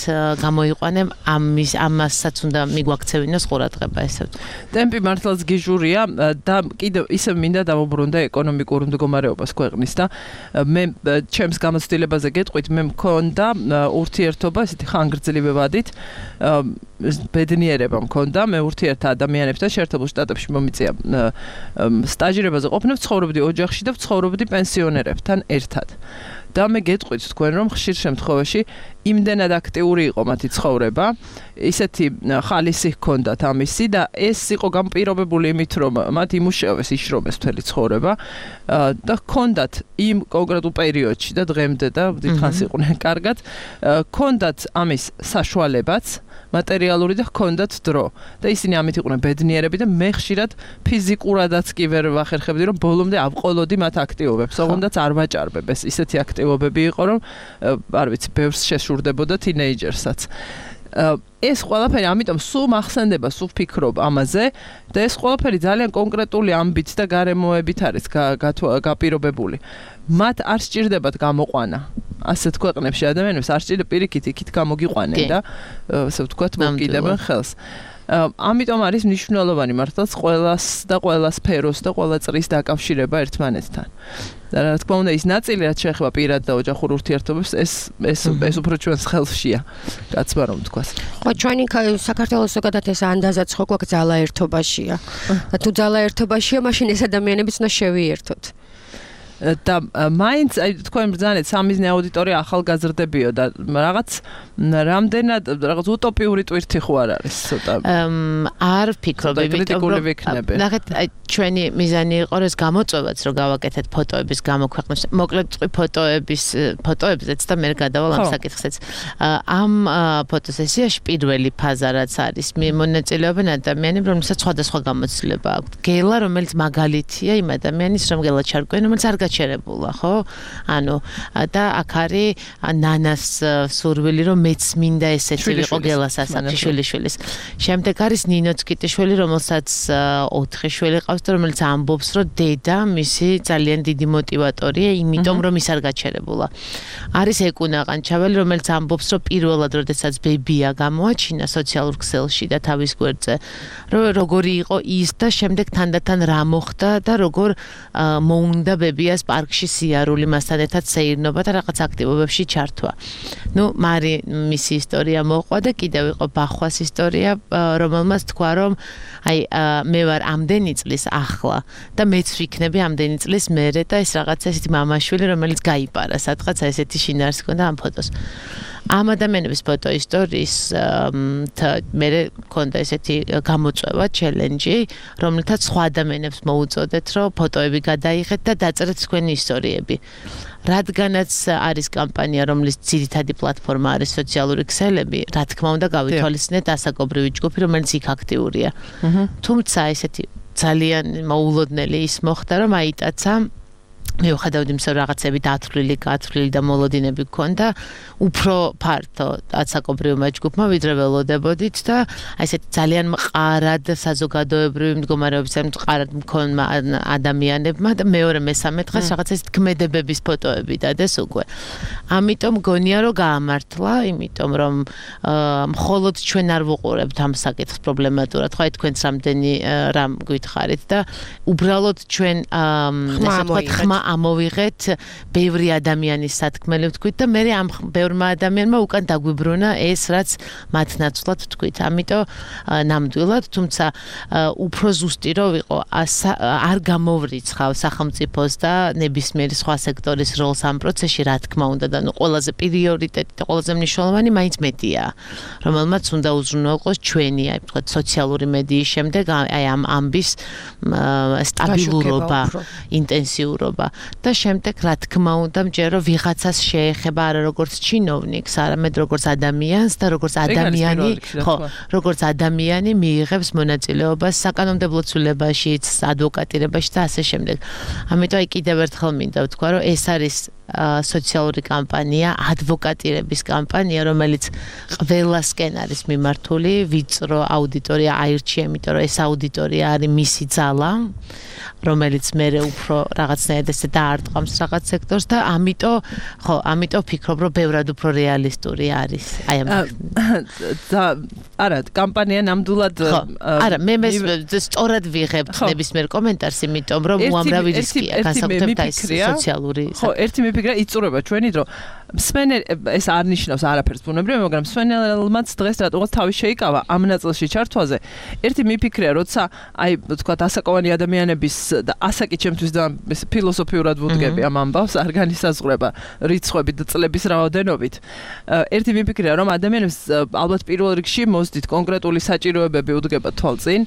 გამოიყვანებ ამის ამასაც უნდა მიგვაქცევინოს ყურადღება ესე ვთქვი. ტემპი მართლაც გიჟურია და კიდევ ისე მინდა დავუბრუნდე ეკონომიკურ მდგომარეობას ქვეყნის და მე ჩემს გამოცდილებაზე გეტყვით მე მქონდა ურთიერთობა ესეთი ხანგრძლივი ვადით ბედნიერება მქონდა მე ურთიერთა ადამიანებთან შეერთებულ შტატებში მომიწია სტაჟირებაზე ყოფნა ვცხოვრობდი ოჯახში და ვცხოვრობდი პენსიონერებთან ერთად და მე გეტყვით თქვენ რომ ხშირ შემთხვევაში იმდენად აქტიური იყო მათი ცხოვრება, ისეთი ხალისი ჰქონდათ ამისი და ეს იყო განპირობებული იმით რომ მათ იმუშავეს, იშრომეს მთელი ცხოვრება და ჰქონდათ იმ კონკრეტულ პერიოდში და დღემდე და დიდხანს იყვნენ კარგად, ჰქონდათ ამის საშუალებაც მატერიალური და ჰქონდათ დრო და ისინი ამით იყვნენ ბედნიერები და მე ხშირად ფიზიკურადაც კი ვერ ვახერხებდი რომ ბოლომდე ავყოლოდი მათ აქტივობებს, ოღონდაც არ ვაჭარბებეს. ისეთი აქტივობები იყო რომ არ ვიცი, ბევრს შეშურდებოდა თინეიჯერსაც. ეს ყველაფერი ამიტომ სულ მახსენდება, სულ ვფიქრობ ამაზე და ეს ყველაფერი ძალიან კონკრეტული ამბით და გარემოებით არის გაპირობებული. მათ არ სჭირდებათ გამოყვანა. ასეთ ქვეყნებში ადამიანებს არ სჭირდება პირიქით იქით გამოგიყვანენ და ასე ვთქვათ, მოკიდებენ ხელს. ამიტომ არის მნიშვნელოვანი მართლაც ყველას და ყველა სფეროს და ყველა წრის დაკავშირება ერთმანეთთან. და რა თქმა უნდა, ის ნაწილი რაც შეეხება პირად და ოჯახურ ურთიერთობებს, ეს ეს ეს უფრო ჩვენს ხელშია, კაცმა რომ ვთქვას. ხო, ჩვენი საქართველოს ზოგადად ეს ანდაზაც ხო გვაქვს ძალაერთობაშია. და თუ ძალაერთობაშია, მაშინ ეს ადამიანებიც უნდა შევიერთოთ. და მაინც აი თქვენ ბრძანეთ სამიზნე აუდიტორია ახალგაზრდებიო და რაღაც რამდენად რაღაც утоპიური ტვირთი ხო არ არის ცოტა არ ვფიქრობ, იმიტომ რომ ნახეთ აი ჩვენი მიზანი იყო რომ ეს გამოწვევაც რომ გავაკეთეთ ფოტოების გამოქვეყნებას, მოკლედ ფოტოების ფოტოებზეც და მე გადავალ ამ საკითხზეც. ამ ფოტოსესიაში პირველი ფაზა რაც არის, მონაწილეობენ ადამიანები, რომელსაც სხვადასხვა გამოცდილება აქვთ. გელა, რომელიც მაგალითია იმ ადამიანის, რომ გელა ჩარკვენ, რომელიც არ გაჩერებულა, ხო? ანუ და აქ არის ნანას სურვილი, რომ მეც მინდა ესეთი ვიყო გელას ასაკში შვილიშვილის. შემდეგ არის ნინო წკიტიშვილი, რომელსაც ოთხი შვილი ყავს და რომელიც ამბობს, რომ დედა მისი ძალიან დიდი мотиваტორია, იმიტომ რომ ის არ გაჩერებულა. არის ეკუნა ყანჩაველი, რომელიც ამბობს, რომ პირველად როდესაც ბებია გამოაჩინა სოციალურ ქსელში და თავის გვერდზე, რომ როგორი იყო ის და შემდეგ თანდათან რა მოხდა და როგორ მოუნდა ბებიას პარკში სიარული მასთან ერთად სეირნობა და რაღაც აქტივობებში ჩართვა. ნუ მარი მისი ისტორია მოყვა და კიდევ იყო ბახვას ისტორია, რომელმაც თქვა რომ აი მე ვარ ამდენი წლის ახლა და მეც ვიქნები ამდენი წლის მერე და ეს რაღაცა ესეთი მამაშვილი, რომელიც გაიპარა სადღაც ესეთი შინაარსი ჰქონდა ამ ფოტოს. ამ ადამიანების ფოტო ისტორიის მე მქონდა ესეთი გამოწვევა, ჩელენჯი, რომელთაც სხვა ადამიანებს მოუწოდეთ, რომ ფოტოები გადაიღეთ და დაწერეთ თქვენი ისტორიები. რადგანაც არის კამპანია, რომლის ძირითადი პლატფორმა არის სოციალური ქსელები, რა თქმა უნდა გავითვალისწინეთ ასაკობრივი ჯგუფი, რომელიც იქ აქტიურია. თუმცა ესეთი ძალიან მოულოდნელი ის მოხდა, რომ აიტაცა მიუხედავად იმისა, რომ რაღაცები დათვლილი, გათვლილი და მოლოდინები გქონდა, უფრო ფართო ასაკობრივმა ჯგუფმა ვიდრე ველოდებოდით და აი ესეთი ძალიან მყარად საზოგადოებრივი მდგომარეობისგან მყარად მქონმა ადამიანებმა და მეორე მესამე დღეს რაღაცა ესეთი ქმედებების ფოტოები დადეს უკვე. ამიტომ გონია რომ გაამართლა, იმიტომ რომ მხოლოდ ჩვენ არ ვუყურებთ ამ საკითხს პრობლემატურად, ხო აი თქვენც რამდენი რამ გითხარით და უბრალოდ ჩვენ ესე ვთქვათ ხმა ამოვიღეთ ბევრი ადამიანის სათქმელი ვთქვით და მე ამ ბევრმა ადამიანმა უკან დაგვიბრუნა ეს რაც მათ ნაცვლად ვთქვით. ამიტომ ნამდვილად, თუმცა უფრო ზუსტი რო ვიყო, არ გამოვრიცხავ სახელმწიფოს და ნებისმიერი სხვა სექტორის როლს ამ პროცესში, რა თქმა უნდა და ნუ ყველაზე პრიორიტეტი და ყველაზე მნიშვნელოვანი მაინც მედიაა, რომელმაც უნდა უზრუნველყოს ჩვენი, აი ვთქვათ, სოციალური მედიის შემდეგ აი ამ ამბის სტაბილურობა, ინტენსიურობა. და შემდეგ რა თქმა უნდა მჯერ რომ ვიღაცას შეეხება არა როგორც ჩინოვნიკს, არამედ როგორც ადამიანს და როგორც ადამიანი, ხო, როგორც ადამიანი მიიღებს მონაწილეობას საკანონმდებლო ცვლილებაშიც, ადვოკატირებაში და ასე შემდეგ. ამიტომ აი კიდევ ერთხელ მინდა ვთქვა, რომ ეს არის სოციალური კამპანია, ადვოკატირების კამპანია, რომელიც ყველასკენ არის მიმართული, ვიწრო აუდიტორია აირჩია, იმიტომ რომ ეს აუდიტორია არის მისი ძალა, რომელიც მერე უფრო რაღაცნაირად ესე დაარტყამს რაღაც სექტორს და ამიტომ ხო, ამიტომ ვფიქრობ, რომ ბევრად უფრო რეალისტური არის. აი ამ და არა, კამპანია ნამდვილად არა, მე მე სწორად ვიღებთ ნებისმიერ კომენტარს, იმიტომ რომ უამრავი რისკია განსაკუთრებით აი სოციალური. ხო, ერთი მიფიქრა იწურება ჩვენი დრო. მსმენელ ეს არ ნიშნავს არაფერს ბუნებრივი, მაგრამ მსმენელმაც დღეს რატოღაც თავი შეიკავა ამ ნაწილში ჩართვაზე. ერთი მიფიქრია, როცა აი ვთქვათ ასაკოვანი ადამიანების და ასაკი ჩემთვის და ფილოსოფიურად ვუდგები ამ ამბავს, არ განისაზღვრება რიცხვებით და წლების რაოდენობით. ერთი მიფიქრია, რომ ადამიანებს ალბათ პირველ რიგში მოსდით კონკრეტული საჭიროებები უდგება თვალწინ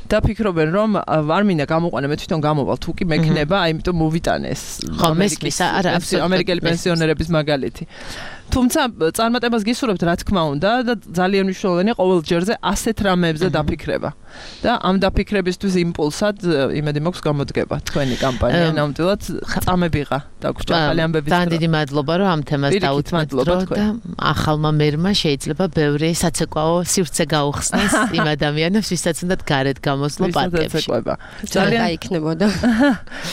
და ფიქრობენ, რომ არ მინდა გამოყვანე, მე თვითონ გამოვალ, თუ კი მექნება, აიმიტომ მოვიტანე ეს ამერიკელი პენსიონერების მაგალითი. თუმცა წარმატებას გისურვებთ რა თქმა უნდა და ძალიან მნიშვნელოვანია ყოველ ჯერზე ასეთ რამეებზე დაფიქრება. და ამ დაფიქრებისთვის იმპულსად იმედი მაქვს გამოდგება თქვენი კამპანია ნამდვილად წამებიღა დაგვრჩა ახალი ამბების. ძალიან დიდი მადლობა რომ ამ თემას დაუთმეთ დრო და ახალმა მერმა შეიძლება ბევრი საცეკვაო სივრცე გაუხსნას იმ ადამიანებს ვისაც უნდათ გარეთ გამოსვლა პარკებში. ძალიან გაიქნებოდა.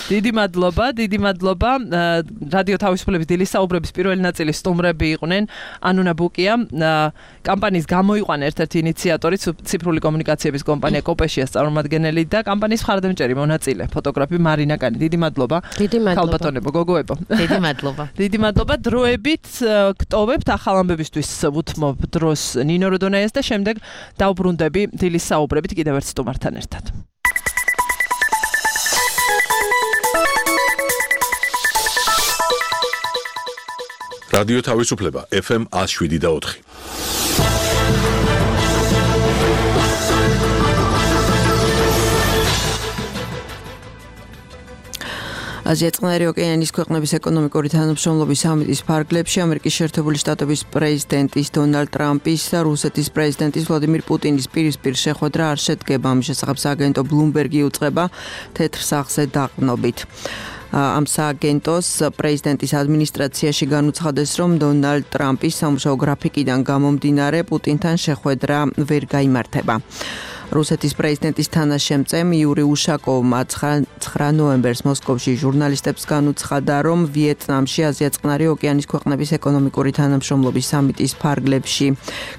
დიდი მადლობა, დიდი მადლობა. რადიო თავისუფლების დილის საუბრების პირველი ნაწილის სტუმრები იყვნენ ანუნა ბუკია, კამპანიის გამოიყვანა ერთ-ერთი ინიციატორი, ციფრული კომუნიკაციების კომპანია კოპეშიას წარმომადგენელი და კამპანიის მხარდამჭერი მონაწილე, ფოტოგრაფი მარინა კანი. დიდი მადლობა. დიდი მადლობა. ხალბატონებო, გოგოებო. დიდი მადლობა. დიდი მადლობა. დროებით გტოვებთ ახალ ამბებისთვის ვუთმობ დროს ნინო როდონაიას და შემდეგ დავბრუნდები დილის საუბრებით კიდევ ერთ სტუმართან ერთად. რადიო თავისუფლება ეფ ემ one oh seven და four. აზია-წყნარი ოკეანის ქვეყნების ეკონომიკური თანამშრომლობის სამიტის ფარგლებში ამერიკის შეერთებული შტატების პრეზიდენტის დონალდ ტრამპის და რუსეთის პრეზიდენტის ვლადიმირ პუტინის პირისპირ შეხვედრა არ შედგება. ამის შესახებ სააგენტო ბლუმბერგი უწყება თეთრ სახლზე დაყრდნობით. ამ სააგენტოს პრეზიდენტის ადმინისტრაციაში განუცხადეს, რომ დონალდ ტრამპის სამუშაო გრაფიკიდან გამომდინარე პუტინთან შეხვედრა ვერ გაიმართება. რუსეთის პრეზიდენტის თანაშემწემ იური უშაკოვმა ცხრა ნოემბერს მოსკოვში ჟურნალისტებს განუცხადა, რომ ვიეტნამში აზია-წყნარი ოკეანის ქვეყნების ეკონომიკური თანამშრომლობის სამიტის ფარგლებში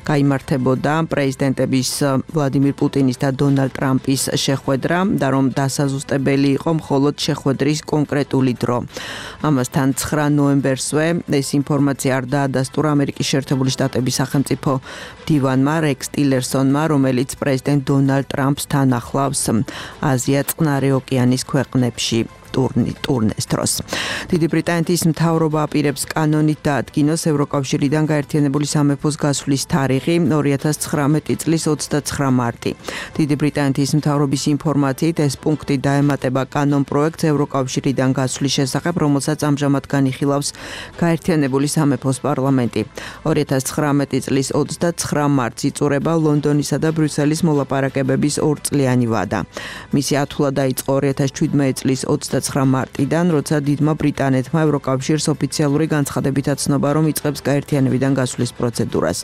გაიმართებოდა პრეზიდენტების ვლადიმირ პუტინის და დონალდ ტრამპის შეხვედრა და რომ დასაზუსტებელი იყო მხოლოდ შეხვედრის კონკრეტული დრო. ამასთან ცხრა ნოემბერსვე ეს ინფორმაცია არ დაადასტურა ამერიკის შეერთებული შტატების სახელმწიფო მდივანმა რექს ტილერსონმა, რომელიც პრეზიდენტ დონალდ ტრამპს თან ახლავს აზია-წყნარი ოკეანის ქვეყნებში ტურნეს დროს. დიდი ბრიტანეთის მთავრობა აპირებს კანონით დაადგინოს ევროკავშირიდან გაერთიანებული სამეფოს გასვლის თარიღი ორი ათას ცხრამეტი წლის ოცდაცხრა მარტი. დიდი ბრიტანეთის მთავრობის ინფორმაციით ეს პუნქტი დაემატება კანონ პროექტს ევროკავშირიდან გასვლის შესახებ, რომელსაც ამჟამად განიხილავს გაერთიანებული სამეფოს პარლამენტი. ორი ათას ცხრამეტი წლის ოცდაცხრა მარტს იწურება ლონდონისა და ბრიუსელის მოლაპარაკებების ორწლიანი ვადა. მისი ათვლა დაიწყო ორი ათას შვიდმეტი წლის ოცდაცხრა მარტიდან, როცა დიდმა ბრიტანეთმა ევროკავშირს ოფიციალური განცხადებით აცნობა, რომ იწყებს გაერთიანებიდან გასვლის პროცედურას.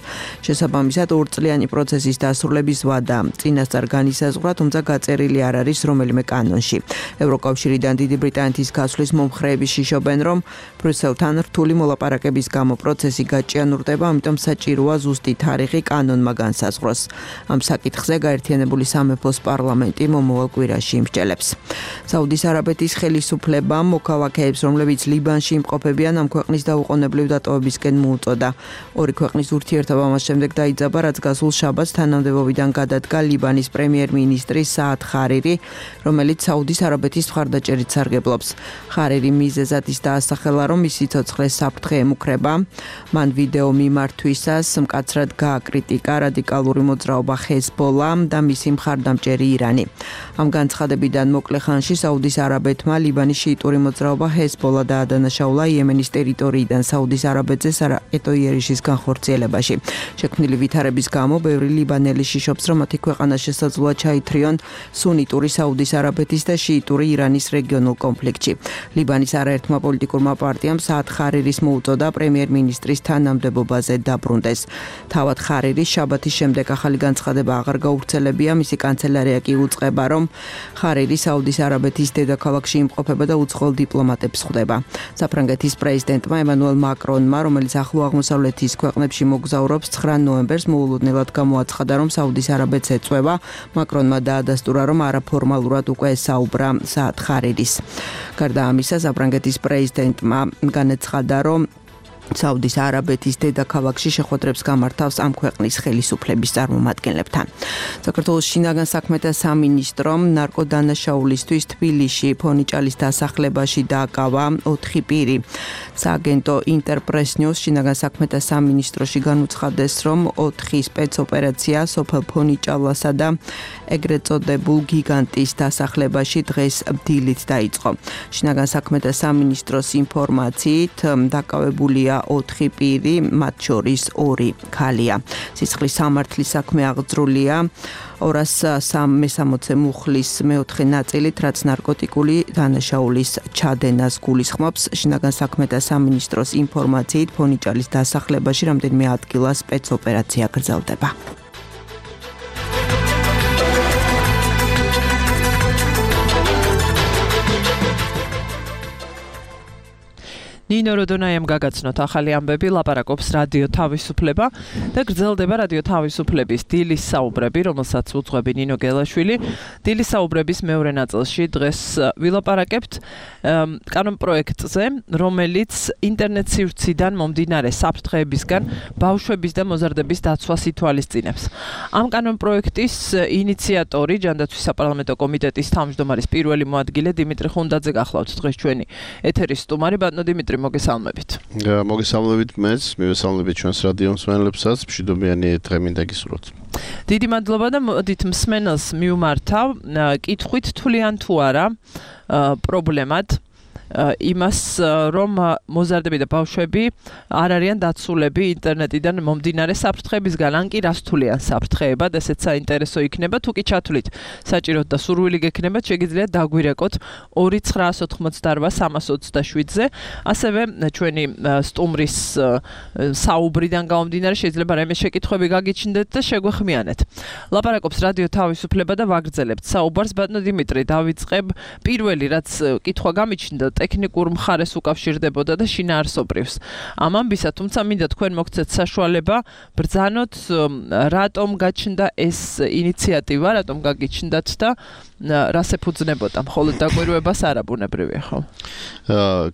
შესაბამისად, ორწლიანი პროცესის დასრულების ვადა წინასწარ განისაზღვრა, თუმცა გაწერილი არ არის რომელიმე კანონში. ევროკავშირიდან დიდი ბრიტანეთის გასვლის მომხრეები შიშობენ, რომ ბრიუსელთან რთული მოლაპარაკების გამო პროცესი გაჭიანურდება, ამიტომ საჭიროა ზუსტი თარიღი კანონმა განსაზღვროს. ამ საკითხზე გაერთიანებული სამეფოს პარლამენტი მომავალ კვირაში იმსჯელებს. საუდის არაბეთის ხელისუფლებამ მოქალაქეებს, რომლებიც ლიბანში იმყოფებიან, ამ ქვეყნის დაუყოვნებლივ დატოვებისკენ მოუწოდა. ორი ქვეყნის ურთიერთობა მას შემდეგ დაიძაბა, რაც გასულ შაბათს თანამდებობიდან გადადგა ლიბანის პრემიერ-მინისტრი საად ხარირი, რომელიც საუდის არაბეთის მხარდაჭერით სარგებლობს. ხარირი მიზეზად ის დაასახელა, რომ მისი სიცოცხლეს საფრთხე ემუქრება. მან ვიდეო მიმართვისას მკაცრად გააკრიტიკა რადიკალური მოძრაობა ჰეზბოლა და მისი მხარდამჭერი ირანი. ამ განცხადებიდან მოკლე ხანში საუდის არაბეთმა ლიბანის შიიტური მოძრაობა ჰეზბოლა დაადანაშაულა იემენის ტერიტორიიდან საუდის არაბეთზე სარაკეტო იერიშის განხორციელებაში. შექმნილი ვითარების გამო ბევრი ლიბანელი შიშობს, რომ მათი ქვეყანა შესაძლოა ჩაითრიონ სუნიტური საუდის არაბეთის და შიიტური ირანის რეგიონულ კონფლიქტში. ლიბანის არაერთმა პოლიტიკურმა პარტიამ საად ხარირის მოუწოდა პრემიერ-მინისტრის თანამდებობაზე დაბრუნდეს. თავად ხარირის შაბათის შემდეგ ახალი განცხადება აღარ გაუვრცელებია, მისი კანცელარია კი უწყება, რომ ხარირი საუდის არაბეთის დედაქალაქში იმყოფება და უცხოელ დიპლომატებს ხვდება. საფრანგეთის პრეზიდენტმა ემანუელ მაკრონმა, რომელიც ახლო აღმოსავლეთის ქვეყნებში მოგზაურობს, ცხრა ნოემბერს მოულოდნელად გამოაცხადა, რომ საუდის არაბეთს ეწვევა. მაკრონმა დაადასტურა, რომ არაფორმალურად უკვე ესაუბრა საად ხარირის. გარდა ამისა, საფრანგეთის პრეზიდენტმა განაცხადა, რომ საუდის არაბეთის დედაქალაქში შეხვედრებს გამართავს ამ ქვეყნის ხელისუფლების წარმომადგენლებთან. საქართველოს შინაგან საქმეთა სამინისტრომ ნარკოდანაშაულისთვის თბილისში ფონიჭალის დასახლებაში დააკავა ოთხი პირი. სააგენტო ინტერპრეს ნიუს შინაგან საქმეთა სამინისტროში განუცხადეს, რომ ოთხი სპეცოპერაცია სოფელ ფონიჭალასა და ეგრეთ წოდებულ გიგანტის დასახლებაში დღეს დილით დაიწყო. შინაგან საქმეთა სამინისტროს ინფორმაციით დაკავებულია ოთხი პირი, მათ შორის ორი ქალია. სისხლის სამართლის საქმე აღძრულია ორას სამესამოცე მუხლის მეოთხე ნაწილით, რაც ნარკოტიკული დანაშაულის ჩადენას გულისხმობს. შინაგან საქმეთა სამინისტროს ინფორმაციით ფონიჭალის დასახლებაში რამდენიმე ადგილას სპეცოპერაცია გრძელდება. ნინო როდონაიამ გაგაცნოთ ახალი ამბები, ლაპარაკობს რადიო თავისუფლება და გრძელდება რადიო თავისუფლების დილის საუბრები, რომელსაც უძღვები ნინო გელაშვილი. დილის საუბრების მეორე ნაწილში დღეს ვილაპარაკებთ კანონპროექტზე, რომელიც ინტერნეტ სივრციდან მომდინარე საფრთხეებისგან ბავშვების და მოზარდების დაცვას ითვალისწინებს. ამ კანონპროექტის ინიციატორი, ჯანდაცვის საპარლამენტო კომიტეტის თავმჯდომარის პირველი მოადგილე დიმიტრი ხუნდაძე გახლავთ დღეს ჩვენი ეთერის სტუმარი. ბატონო დიმიტრი, მოგესალმებით. მოგესალმებით მეც, მივესალმებით ჩვენს რადიო მსმენელებსაც, მშვიდობიანი დღე მინდა გისურვოთ. დიდი მადლობა და მოდით მსმენელს მიუმართავ კითხვით თვლიან თუ არა პრობლემად იმას, რომ მოზარდები და ბავშვები არ არიან დაცულები ინტერნეტიდან მომდინარე საფრთხეებისგან, ან კი რას თვლიან საფრთხეებად, ესეც საინტერესო იქნება. თუ კი ჩათვლით საჭიროდ და სურვილი გექნებათ, შეგიძლიათ დაგვირეკოთ ორი ცხრა ოცდაოთხმოცდაარბა სამას ოცდაშვიდზე. ასევე ჩვენი სტუმრის საუბრიდან გამომდინარე შეიძლება რაიმე შეკითხვები გაგიჩნდეთ და შეგვეხმიანეთ. ლაპარაკობს რადიო თავისუფლება და ვაგრძელებთ საუბარს. ბატონო დიმიტრი, დავიწყებ პირველი, რაც კითხვა გამიჩნდა ტექნიკურ მხარეს უკავშირდებოდა და შინაარსობრივს ამ ამბისა, თუმცა მინდა თქვენ მოგცეთ საშუალება ბრძანოთ, რატომ გაჩნდა ეს ინიციატივა, რატომ გაგიჩნდათ და რას ეფუძნებოდა, მხოლოდ დაკვირვებას არა ბუნებრივია, ხო?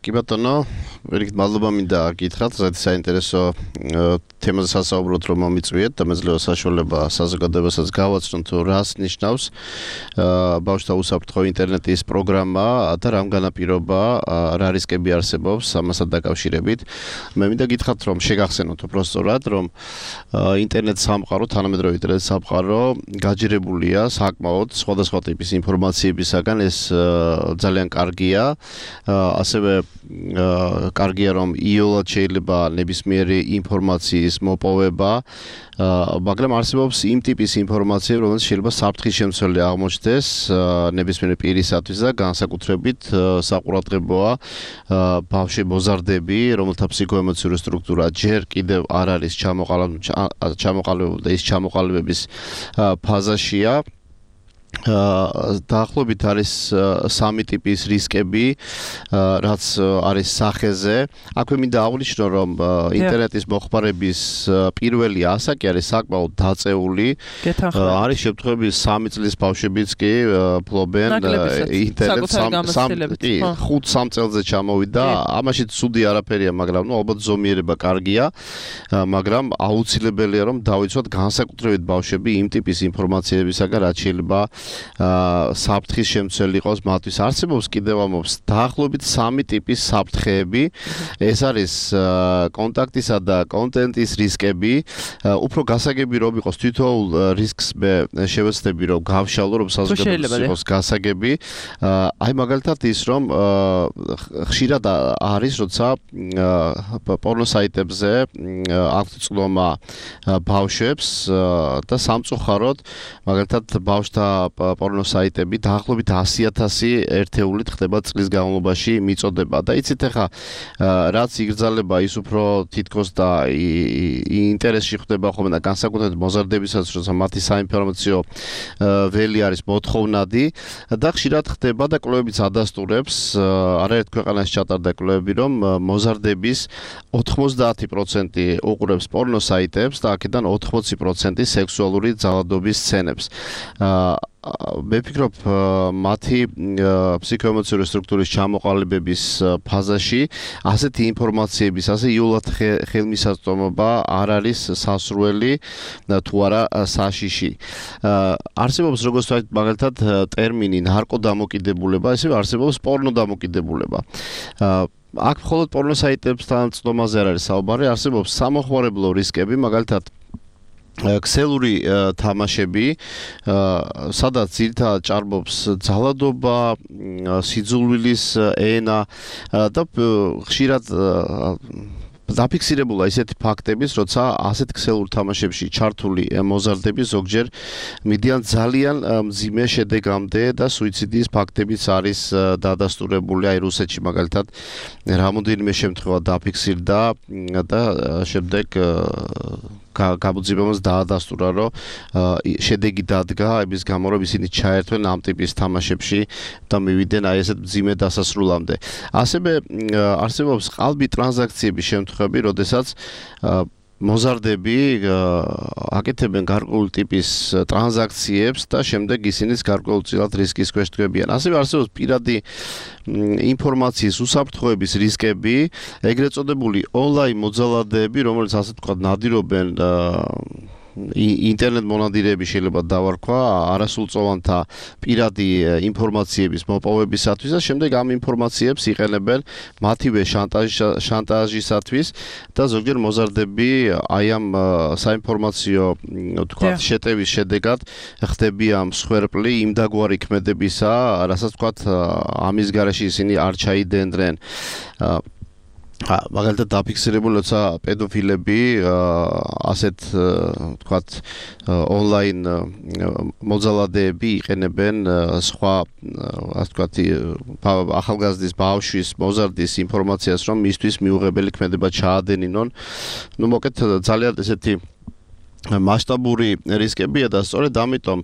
კი ბატონო, ვერიგით მადლობა მინდა გითხრათ, ზედ საინტერესო თემაზე სასაუბროთ რომ მომიწვიეთ და მეძლევა საშუალება საზოგადოებასაც გავაცნოთ, თუ რას ნიშნავს ბავშვთა უსაფრთხო ინტერნეტის პროგრამა და რამ განაპირობა, რა რისკები არსებობს ამასთან დაკავშირებით. მე მინდა გითხრათ, რომ შეგახსენოთ უბრალოდ, რომ ინტერნეტ სამყარო, თანამედროვე ინტერნეტ სამყარო გაჯერებულია საკმაოდ სხვადასხვა ტიპის ინფორმაციებისაგან, ეს ძალიან კარგია. ასევე კარგია, რომ იოლად შეიძლება ნებისმიერი ინფორმაციის მოპოვება, მაგრამ არსებობს იმ ტიპის ინფორმაცია, რომელიც შეიძლება საფრთხის შემცველი აღმოჩნდეს ნებისმიერი პირისათვის და განსაკუთრებით საყურადღებოა ბავშვი მოზარდები, რომელთა ფსიქოემოციური სტრუქტურა ჯერ კიდევ არ არის ჩამოყალიბებული და ის ჩამოყალიბების ფაზაშია. დაახლოებით არის სამი ტიპის რისკები, რაც არის სახეზე. აქვე მინდა აღვნიშნო, რომ ინტერნეტის მოხმარების პირველი ასაკი არის საკმაოდ დაწეული. არის შემთხვევები სამი წლის ბავშვებიც კი ფლობენ ინტერნეტს ხუთ სამ წელზე ჩამოვიდა. ამაშიც ცუდი არაფერია, მაგრამ ნუ ალბათ ზომიერება კარგია, მაგრამ აუცილებელია რომ დავიცვათ განსაკუთრებით ბავშვები იმ ტიპის ინფორმაციებისაგან, რაც შეიძლება საფრთხის შემცველი იყოს მათთვის. არსებობს კიდევ ამობს დაახლოებით სამი ტიპის საფრთხეები. ეს არის კონტაქტისა და კონტენტის რისკები. უფრო გასაგები რომ იყოს თითოეულ რისკს მე შევეცდები რომ გავშალო, რომ საზოგადოებას იყოს გასაგები. აი მაგალითად ის რომ ხშირად არის, როცა პორნო საიტებზე აქვთ წვდომა ბავშვებს და სამწუხაროდ მაგალითად ბავშვთა პორნო საიტები დაახლოებით ასი ათასი ერთეულით ხდება წლის განმავლობაში მიწოდება და იცით ახლა რაც იგრძალება ის უფრო თითქოს და ინტერესში ხდება ხოლმე და განსაკუთრებით მოზარდებისაც, როცა მათი საინფორმაციო ველი არის მოთხოვნადი და ხშირად ხდება და კვლევებიც ადასტურებს, არაერთ ქვეყანაში ჩატარდა კვლევები, რომ მოზარდების ოთხმოცდაათი პროცენტი უყურებს პორნო საიტებს და აქედან ოთხმოცი პროცენტი სექსუალური ძალადობის სცენებს. მე ვფიქრობ მათი ფსიქოემოციური სტრუქტურის ჩამოყალიბების ფაზაში ასეთი ინფორმაციების, ასე იულად ხელმისაწვდომობა არ არის სასურველი თუ არა საშიში. არსებობს როგორც ვთქვათ, მაგალითად ტერმინი ნარკოდამოკიდებულება, ისევ არსებობს პორნოდამოკიდებულება. აქ მხოლოდ პორნო საიტებთან ცდომაზე არ არის საუბარი, არსებობს სამოხმარებლო რისკები, მაგალითად ქსელური თამაშები, სადაც ძირითადად ჭარბობს ძალადობა, სიძულვილის ენა და ხშირად დაფიქსირებულა ისეთი ფაქტების, როცა ასეთ ქსელურ თამაშებში ჩართული მოზარდები ზოგჯერ მიდიან ძალიან მძიმე შედეგამდე და სუიციდის ფაქტებიც არის დადასტურებული. აი რუსეთში მაგალითად რამოდენიმე შემთხვევა დაფიქსირდა და შემდეგ გაბუძებამას დაადასტურა, რომ შედეგი დადგა იმის გამო, რომ ისინი ჩაერთვენ ამ ტიპის თამაშებში და მივიდნენ აი ესეთ მძიმე დასასრულამდე. ასევე არსებობს ყალბი ტრანზაქციების შემთხვევები, როდესაც მოზარდები აკეთებენ გარკვეული ტიპის ტრანზაქციებს და შემდეგ ისინიც გარკვეულწილად რისკის ქვეშ დგებიან. ასევე არსებობს პირადი ინფორმაციის უსაფრთხოების რისკები, ეგრეთ წოდებული ონლაინ მოძალადეები, რომელიც ასე ვთქვათ ნადირობენ ინტერნეტ მონადირეები შეიძლება დავარქვა არასრულწლოვანთა პირადი ინფორმაციების მოპოვებისათვის და შემდეგ ამ ინფორმაციებს იყენებენ მათივე შანტაჟისათვის და ზოგჯერ მოზარდები აი ამ საინფორმაციო თქვათ შეტევის შედეგად ხდებიან მსხვერპლი იმ დაგვარი ქმედებისა, რასაც თქვათ ამის გარეშე ისინი არ ჩაიდენდნენ. მაგალითად დაფიქსირებული, როცა პედოფილები ასეთ თქვათ ონლაინ მოძალადეები იყენებენ სხვა ასე თქვათ ახალგაზრდის ბავშვის მოზარდის ინფორმაციას, რომ მისთვის მიუღებელი ქმედება ჩაადენინონ. ნუ მოკეთ ძალიან ესეთი მასშტაბური რისკებია და სწორედ ამიტომ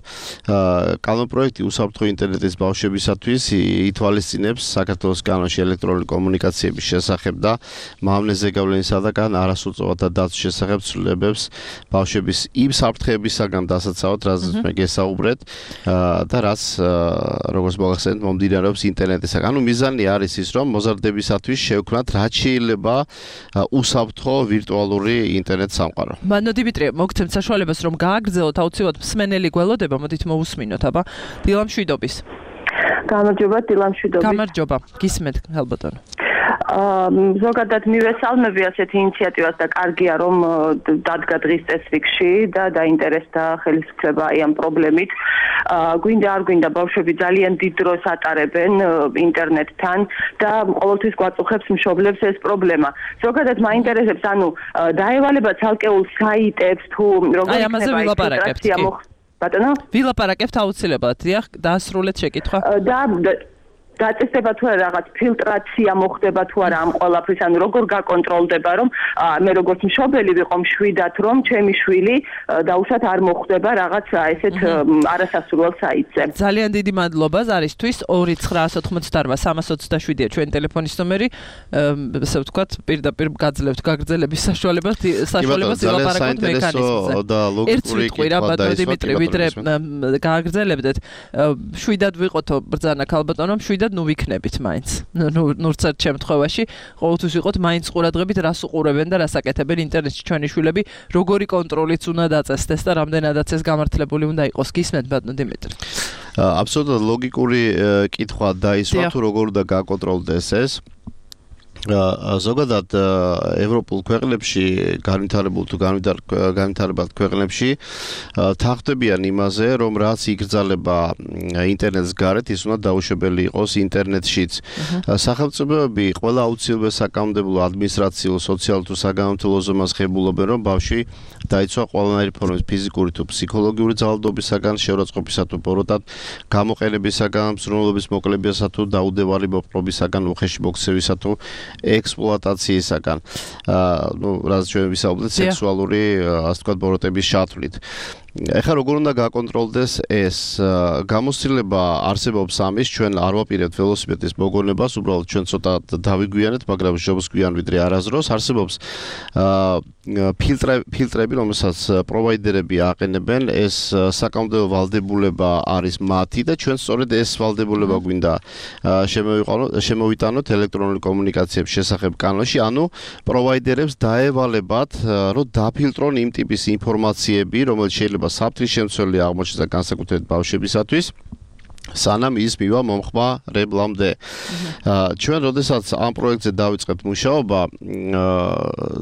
კანონპროექტი უსაფრთხო ინტერნეტის ბავშვებისათვის ითვალისწინებს საქართველოს კანონში ელექტრონული კომუნიკაციების შესახებ და მავნე ზეგავლენისა და კან არასრულწლოვანთა დაცვის შესახებ ცვლილებებს ბავშვების იმ საფრთხეებისაგან დასაცავად, რაზეც მე გესაუბრეთ და რაც როგორც მოგახსენეთ მომდინარეობს ინტერნეტისაგან. ანუ მიზანი არის ის, რომ მოზარდებისათვის შევქმნათ რაც შეიძლება უსაფრთხო ვირტუალური ინტერნეტ სამყარო. მანო დიმიტრი, მოგცემ საშუალებას რომ გააგრძელოთ აუცილებლად მსმენელი გველოდება, მოდით მოვუსმინოთ, აბა დილამშვიდობის. გამარჯობა, დილამშვიდობის. გამარჯობა, გისმენთ ხალბატონო. ზოგადად მივესალმები ასეთ ინიციატივას და კარგია რომ დადგა დღის წესრიგში და დაინტერესდა ხელისუფლება აი ამ პრობლემით. გვინდა არ გვინდა ბავშვები ძალიან დიდ დროს ატარებენ ინტერნეტთან და ყოველთვის გვაწუხებს მშობლებს ეს პრობლემა. ზოგადად მაინტერესებს ანუ დაევალება ცალკეულ საიტებს თუ როგორ იქნება ეს ბატონო? ვილაპარაკებთ აუცილებლად, დიახ, დაასრულეთ შეკითხვა. და დაწესება თუ არა რაღაც ფილტრაცია მოხდება თუ არა ამ ყველაფრის, ანუ როგორ გაკონტროლდება, რომ მე როგორც მშობელი ვიყო მშვიდად, რომ ჩემი შვილი დაუშვათ არ მოხდება რაღაც ესეთ არასასურველ საიტზე. ძალიან დიდი მადლობა ზარისთვის. ორი ცხრა ოთხმოცდაოთხ სამას ოცდაშვიდია ჩვენი ტელეფონის ნომერი. ესე ვთქვათ, პირდაპირ გაძლევთ გაგრძელების საშუალებას, საშუალებას ვილაპარაკოთ მექანიზმზე. ერთ სიტყვი რა ბატონო დიმიტრი, ვიდრე გააგრძელებდეთ, შვიდად ვიყოთო ბრძანა ქალბატონო, შვიდად ნუ ვიქნებით მაინც. ნუ ნურცერთ შემთხვევაში ყოველთვის ვიყოთ მაინც ყურადღებით რას უყურებენ და რას აკეთებენ ინტერნეტში ჩვენი შვილები, როგორი კონტროლიც უნდა დაწესდეს და რამდენადაც ეს გამართლებული უნდა იყოს. გისმენთ ბატონო დიმიტრი. აბსოლუტურად ლოგიკური კითხვა დაისვა თუ როგორ უნდა გაკონტროლდეს ეს. ზოგადად ევროპულ ქვეყნებში განვითარებულ თუ განვითარებად ქვეყნებში თანხმდებიან იმაზე, რომ რაც იგრძალება ინტერნეტის გარეთ, ის უნდა დაუშვებელი იყოს ინტერნეტშიც. სახელმწიფოები ყველა აუცილებელ საკანონმდებლო, ადმინისტრაციულ, სოციალურ თუ საგანმანათლებლო ზომას ღებულობენ, რომ ბავშვი დაიცვა ყველანაირი ფორმის ფიზიკური თუ ფსიქოლოგიური ძალადობისაგან, შეურაცხყოფისა თუ ბოროტად გამოყენებისაგან, მზრუნველობის მოკლებისა თუ დაუდევარი მოპყრობისაგან, უხეში მოქცევისა თუ ექსპლუატაციისაგან. აა ნუ რაც ჩვენ ვისაუბრეთ სექსუალური ასე ვთქვათ ბოროტების ჩათვლით. ეხლა როგორ უნდა გაკონტროლდეს ეს გამოცდილება არსებობს ამის ჩვენ არ ვაპირებთ ველოსიპედის მოგონებას უბრალოდ ჩვენ ცოტა დავიგვიანეთ მაგრამ შობს გვიან ვიდრე არასდროს არსებობს ფილტრები ფილტრები რომელსაც პროვაიდერები აყენებენ ეს საკანონმდებლო ვალდებულება არის მათი და ჩვენ სწორედ ეს ვალდებულება გვინდა შემოვიტანოთ ელექტრონული კომუნიკაციების შესახებ კანონში ანუ პროვაიდერებს დაევალებათ რომ დაფილტრონ იმ ტიპის ინფორმაციები რომელიც შეიძლება საფრთხის შემცველი აღმოჩნდეს და განსაკუთრებით ბავშვებისათვის სანამ ის მივა მომხმარებლამდე. ჩვენ როდესაც ამ პროექტზე დავიწყებთ მუშაობა,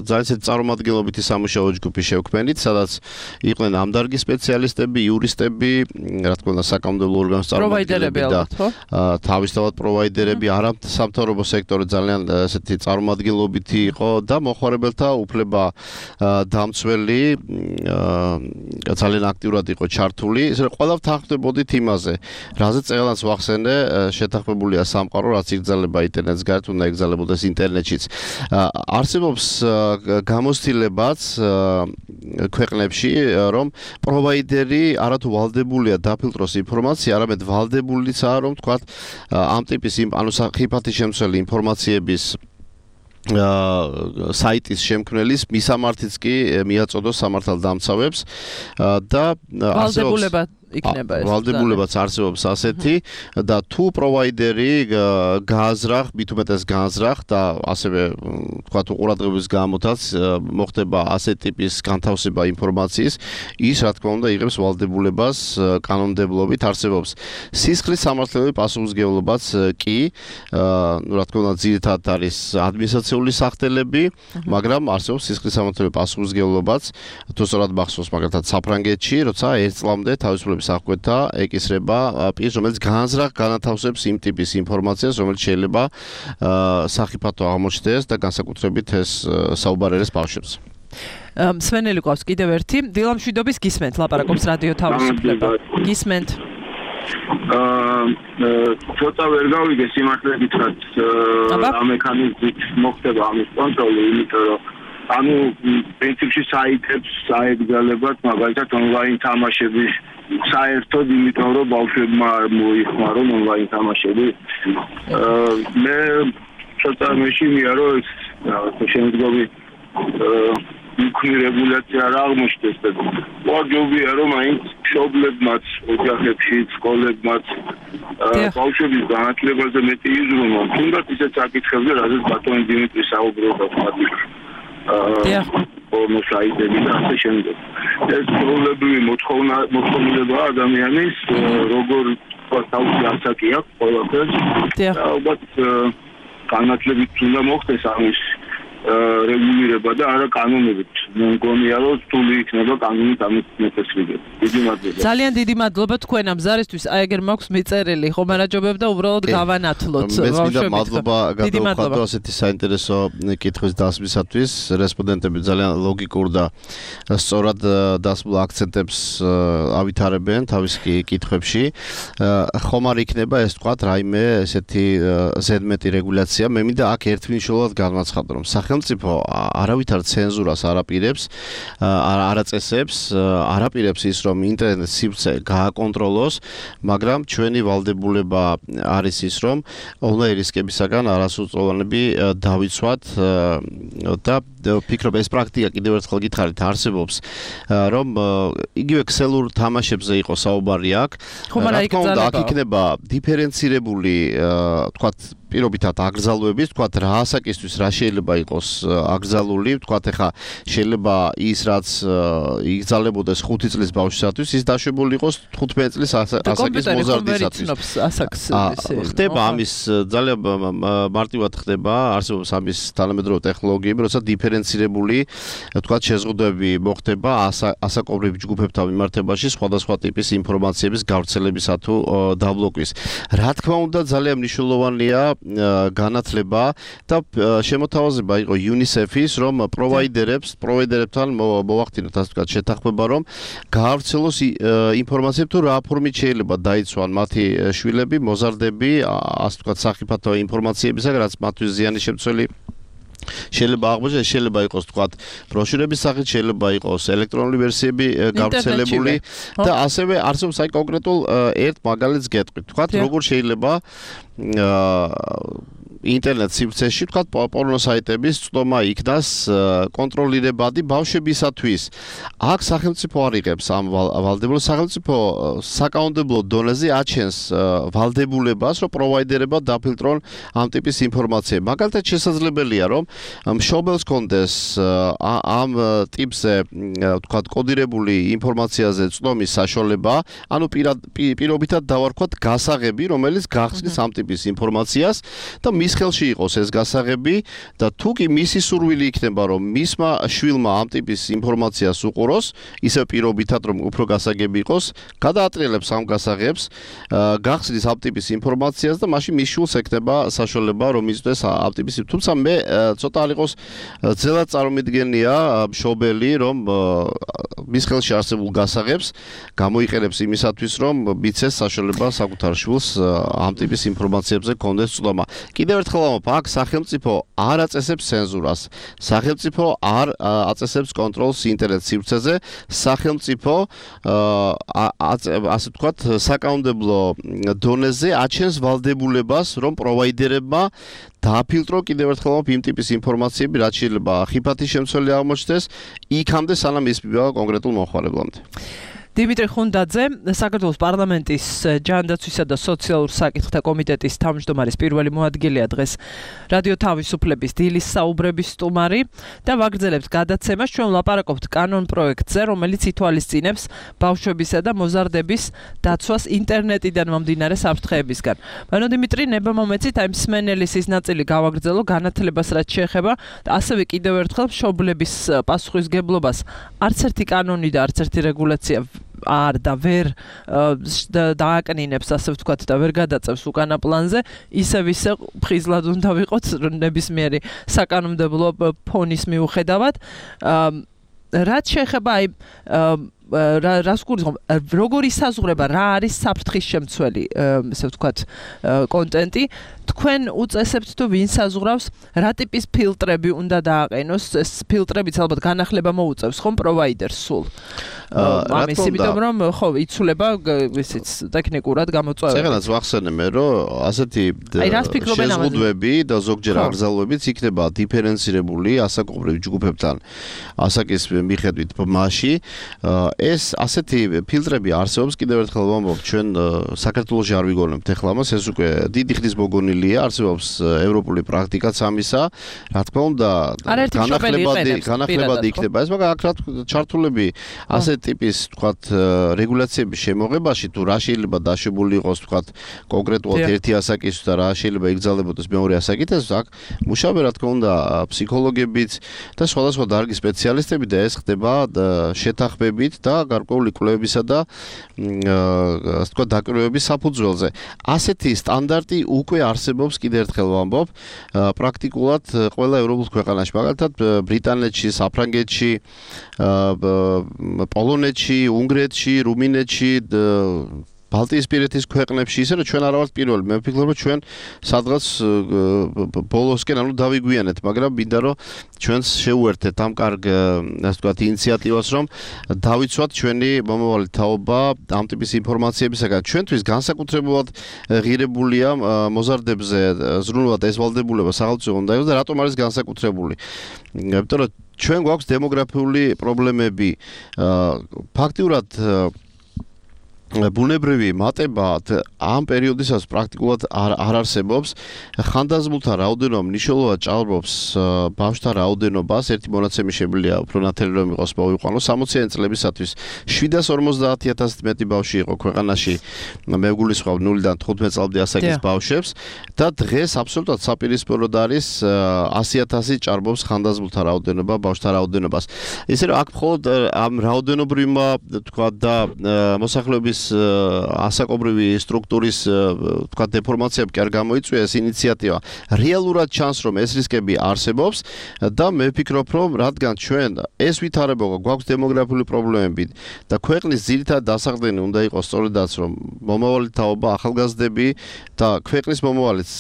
ძალიან ისეთი წარმომადგენლობითი სამუშაო ჯგუფი შევქმნით, სადაც იყვნენ ამ დარგის სპეციალისტები, იურისტები, რა თქმა უნდა, საკანონმდებლო ორგანოს წარმომადგენლები და თავისთავად პროვაიდერები, არასამთავრობო სექტორი ძალიან ესეთი წარმომადგენლობითი იყო და მოხმარებელთა უფლება დამცველი ძალიან აქტიურად იყო ჩართული. ესე ყველა ვთანხმდებოდით იმაზე, რაზეც წელს ვახსენე შეთანხმებულია სამყარო, რაც იგზალება ინტერნეტს გარეთ, უნდა იგზალებოდეს ინტერნეტშიც. არსებობს გამოცდილებაც ქვეყნებში, რომ პროვაიდერი არათუ ვალდებულია დაფილტროს ინფორმაცია, არამედ ვალდებულიცაა, რომ თქვათ ამ ტიპის ანუ ხიფათი შემცველი ინფორმაციების საიტის შემქმნელის მისამართიც კი მიაწოდოს სამართალდამცავებს და ვალდებულება იქნება ეს. ვალდებულებაც არსებობს ასეთი და თუ პროვაიდერი გააზრახ, მით უმეტეს გააზრახ და ასევე თქვათ უყურადღების გამოთაც მოხდება ასეთ ტიპის განთავსება ინფორმაციის, ის რა თქმა უნდა იღებს ვალდებულებას კანონმდებლობით არსებობს. სისხლის სამართლებრივი პასუხისმგებლობაც კი, ну რა თქმა უნდა ძირითადად არის ადმინისტრაციული სახდელები, მაგრამ არსებობს სისხლის სამართლებრივი პასუხისმგებლობაც, თუ სწორად მახსოვს მაგალითად საფრანგეთში, როცა ერთ წლამდე თავისუფლების აღკვეთა ეკისრება პირს, რომელიც განზრახ განათავსებს იმ ტიპის ინფორმაციას, რომელიც შეიძლება სახიფათო აღმოჩნდეს და განსაკუთრებით ეს საუბარელეს ბავშვებს. მსმენელი ყავს კიდევ ერთი, დილამშვიდობის გისმენთ, ლაპარაკობს რადიო თავისუფლება. გისმენთ. აა ცოტა ვერ გავიგე სიმართლე გითხრათ, ამ მექანიზმით მოხდება ამის კონტროლი, იმიტომ რომ ანუ პრინციპში საიტებს აეგზალებათ მაგალითად ონლაინ თამაშების საერთოდ იმიტომ რომ ბავშვებმა მოიხმარონ ონლაინ თამაშები. მე ცოტა მეშინია რომ ეს შემდგომი იქნი რეგულაცია არ აღმოჩნდეს და ვარჯობია რომ აინც მშობლებმაც, ოჯახებში, სკოლებმაც ბავშვების განათლებაზე მეტი იზრუნონ. თუნდაც ისეთ საკითხებზე, რაზეც ბატონი დიმიტრი საუბრობდა ხმადი. ორ მოსაიდები და ასე შემდეგ. ეს პრობლემები მოთხოვნილება ადამიანის როგორ თავისი ასაკი აქვს ყველაფერს. და ალბათ განათლებით უნდა მოხდეს ამის რეგულირება და არა კანონებით. მგონია რომ რთული იქნება კანონით ამის მოხსნიდება. დიდი მადლობა. ძალიან დიდი მადლობა თქვენ ამ ზარისთვის. აი ეგერ მაქვს მიწერილი, ხომ არაჯობებ და უბრალოდ გავანათლოთ ბავშვებით. მადლობა გადავხადო ასეთი საინტერესო კითხვის დასმისათვის. რესპონდენტები ძალიან ლოგიკურ და სწორად დასმულ აქცენტებს ავითარებენ თავის კითხვებში. ხომ არ იქნება ეს თქვათ რაიმე ესეთი ზედმეტი რეგულაცია. მე მინდა აქ ერთმნიშვნელოვნად განვაცხადო, რომ სახელმწიფო არავითარ ცენზურას არაპირებს, არაწესებს, არაპირებს ის, რომ ინტერნეტ სივრცე გააკონტროლოს, მაგრამ ჩვენი ვალდებულება არის ის, რომ ონლაინ რისკებისაგან არასრულწლოვანები დავიცვათ და ვფიქრობ ეს პრაქტიკა კიდევ ერთხელ გითხარით არსებობს, რომ იგივე ქსელურ თამაშებზე იყო საუბარი აქ. რა თქმა უნდა, აქ იქნება დიფერენცირებული, თქვათ პირობითად აკრძალვების, თქვათ რა ასაკისთვის რა შეიძლება იყოს აკრძალული, თქვათ ეხა შეიძლება ის რაც იგზალებოდეს ხუთი წლის ბავშვისათვის, ის დაშვებული იყოს თხუთმეტი წლის ასაკის მოზარდისათვის. ხდება ამის ძალიან მარტივად ხდება, არსებობს ამის თანამედროვე ტექნოლოგიები, როცა დიფერენცირებული, თქვათ, შეზღუდვები მოხდება ასაკობრივ ჯგუფებთან მიმართებაში სხვადასხვა ტიპის ინფორმაციების გავრცელებისა თუ დაბლოკვის. რა თქმა უნდა, ძალიან მნიშვნელოვანია განათლება და შემოთავაზება იყო UNICEF-ის, რომ პროვაიდერებს, პროვაიდერებთან მოვახდინოთ ასე ვთქვათ შეთანხმება, რომ გაავრცელოს ინფორმაცია თუ რა ფორმით შეიძლება დაიცვან მათი შვილები, მოზარდები, ასე ვთქვათ სახიფათო ინფორმაციებისაგან, რაც მათთვის ზიანი შემცველი შეიძლება აღმოჩნდეს, შეიძლება იყოს თქვათ ბროშურების სახით, შეიძლება იყოს ელექტრონული ვერსიები გავრცელებული და ასევე არსებობს აი კონკრეტულ ერთ მაგალითს გეტყვით. თქვათ როგორ შეიძლება ინტერნეტ სივრცეში თქვათ პორნო საიტების წვდომა იქნას კონტროლირებადი ბავშვებისათვის. აქ სახელმწიფო არ იღებს ამ ვალდებულებას, სახელმწიფო საკანონმდებლო დონეზე აჩენს ვალდებულებას, რომ პროვაიდერებმა დაფილტრონ ამ ტიპის ინფორმაციები. მაგალითად შესაძლებელია, რომ მშობელს კონდეს ამ ტიპზე თქვათ კოდირებული ინფორმაციაზე წვდომის საშუალება, ანუ პირობითად დავარქვათ გასაღები, რომელიც გახსნის ამ ტიპის ინფორმაციას და მის ხელში იყოს ეს გასაღები და თუ კი მისი სურვილი იქნება, რომ მისმა შვილმა ამ ტიპის ინფორმაციას უყუროს, ისე პირობითად რომ უფრო გასაგები იყოს, გადაატრიალებს ამ გასაღებს, გახსნის ამ ტიპის ინფორმაციას და მაშინ მის შვილს ექნება საშუალება, რომ იზრდეს ამ ტიპის. თუმცა მე ცოტა არ იყოს ძელად წარმომიდგენია მშობელი, რომ მის ხელში არსებულ გასაღებს გამოიყენებს იმისათვის, რომ მიცეს საშუალება საკუთარ შვილს ამ ტიპის ინფორმაციებზე კონდეს წვდომა. კიდევ ერთხელ ამბობ, აქ სახელმწიფო არ აწესებს ცენზურას. სახელმწიფო არ აწესებს კონტროლს ინტერნეტ სივრცეზე. სახელმწიფო ასე ვთქვათ, საკანონმდებლო დონეზე აჩენს ვალდებულებას, რომ პროვაიდერებმა დააფილტრო კიდევ ერთხელ ამბობ იმ ტიპის ინფორმაციები, რაც შეიძლება ხიფათი შემცველი აღმოჩნდეს, იქამდე სანამ ის მივიდა კონკრეტულ მომხმარებლამდე. დიმიტრი ხუნდაძე, საქართველოს პარლამენტის ჯანდაცვისა და სოციალურ საკითხთა კომიტეტის თავმჯდომარის პირველი მოადგილეა დღეს რადიო თავისუფლების დილის საუბრების სტუმარი და ვაგრძელებთ გადაცემას. ჩვენ ვლაპარაკობთ კანონ პროექტზე, რომელიც ითვალისწინებს ბავშვებისა და მოზარდების დაცვას ინტერნეტიდან მომდინარე საფრთხეებისგან. ბანო დიმიტრი, ნება მომეცით აი მსმენელის ის ნაწილი გავაგრძელო განათლებას რაც შეეხება და ასევე კიდევ ერთხელ მშობლების პასუხისგებლობას. არც ერთი კანონი და არც ერთი რეგულაცია არ და ვერ დააკნინებს, ასე ვთქვათ, და ვერ გადაწევს უკანა პლანზე, ისევ ისე ფხიზლად უნდა ვიყოთ ნებისმიერი საკანონმდებლო ფონის მიუხედავად. რაც შეეხება აი რას გულისხმობ, როგორ ისაზღვრება, რა არის საფრთხის შემცველი, ესე ვთქვათ, კონტენტი, თქვენ უწესებთ თუ ვინ საზღვრავს, რა ტიპის ფილტრები უნდა დააყენოს, ეს ფილტრებიც ალბათ განახლება მოუწევს ხომ პროვაიდერს სულ. ამის იმიტომ რომ ხო იცვლება ისიც ტექნიკურად გამოწვევები. წეგანაც ვახსენე მე, რომ ასეთი შეზღუდვები და ზოგჯერ აკრძალვებიც იქნება დიფერენცირებული ასაკობრივ ჯგუფებთან ასაკის მიხედვით მასში. ეს ასეთი ფილტრები არსებობს, კიდევ ერთხელ ვამბობ, ჩვენ საქართველოში არ ვიგონებთ ეხლა მას, ეს უკვე დიდი ხნის მოგონილია, არსებობს ევროპული პრაქტიკაც ამისა. რა თქმა უნდა, განახლებადი განახლებადი იქნება ეს, მაგრამ აქ რა ჩართულები ასეთ ტიპის, თქვათ, რეგულაციების შემოღებაში თუ რა შეიძლება დაშვებული იყოს, თქვათ, კონკრეტულად ერთი ასაკის და რა შეიძლება იგრძელებოდეს მეორე ასაკით, ეს აქ მუშაობენ, რა თქმა უნდა, ფსიქოლოგებიც და სხვადასხვა დარგის სპეციალისტები და ეს ხდება შეთანხმებით და გარკვეული კვლევებისა და ასე ვთქვათ, დაკვირვების საფუძველზე. ასეთი სტანდარტი უკვე არსებობს, კიდევ ერთხელ ვამბობ, პრაქტიკულად ყველა ევროპულ ქვეყანაში, მაგალითად ბრიტანეთში, საფრანგეთში, პოლონეთში, უნგრეთში, რუმინეთში, ბალტიისპირეთის ქვეყნებში, ისე რომ ჩვენ არ ვართ პირველი. მე ვფიქრობ, რომ ჩვენ სადღაც ბოლოსკენ ანუ დავიგვიანეთ, მაგრამ მინდა რომ ჩვენს შეუერთეთ ამ კარგ, ასე ვთქვათ, ინიციატივას, რომ დავიცვათ ჩვენი მომავალი თაობა ამ ტიპის ინფორმაციებისაგან. ჩვენთვის განსაკუთრებულად ღირებულია მოზარდებზე ზრუნულად ეს ვალდებულება სახელმწიფო უნდა იყოს და რატომ არის განსაკუთრებული? იმიტომ რომ ჩვენ გვაქვს დემოგრაფიული პრობლემები. ფაქტიურად ბუნებრივი მატება ამ პერიოდისას პრაქტიკულად არ, არ არსებობს. ხანდაზმულთა რაოდენობა მნიშვნელოვნად ჭარბობს ბავშვთა რაოდენობას. ერთი მონაცემი შეგვიძლია უფრო ნათელი რომ იყოს მოვიყვანო. სამოციანი წლებისათვის შვიდას ორმოცდაათი ათასით მეტი ბავშვი იყო ქვეყანაში. მე ვგულისხმობ ნულიდან თხუთმეტ წლამდე ასაკის ბავშვებს და დღეს აბსოლუტურად საპირისპიროდ არის ასი ათასი ჭარბობს ხანდაზმულთა რაოდენობა ბავშვთა რაოდენობას. ისე რომ აქ მხოლოდ ამ რაოდენობრივმა თქვა და მოსახლეობის ასაკობრივი სტრუქტურის თქვა დეფორმაციები კი არ გამოიწვია ეს ინიციატივა. რეალურად ჩანს რომ ეს რისკები არსებობს და მე ვფიქრობ რომ რადგან ჩვენ ეს ვითარება გვაქვს დემოგრაფიული პრობლემები და ქვეყნის ძირითადად დასაყრდენი უნდა იყოს სწორედაც რომ მომავალი თაობა ახალგაზრდები და ქვეყნის მომავალიც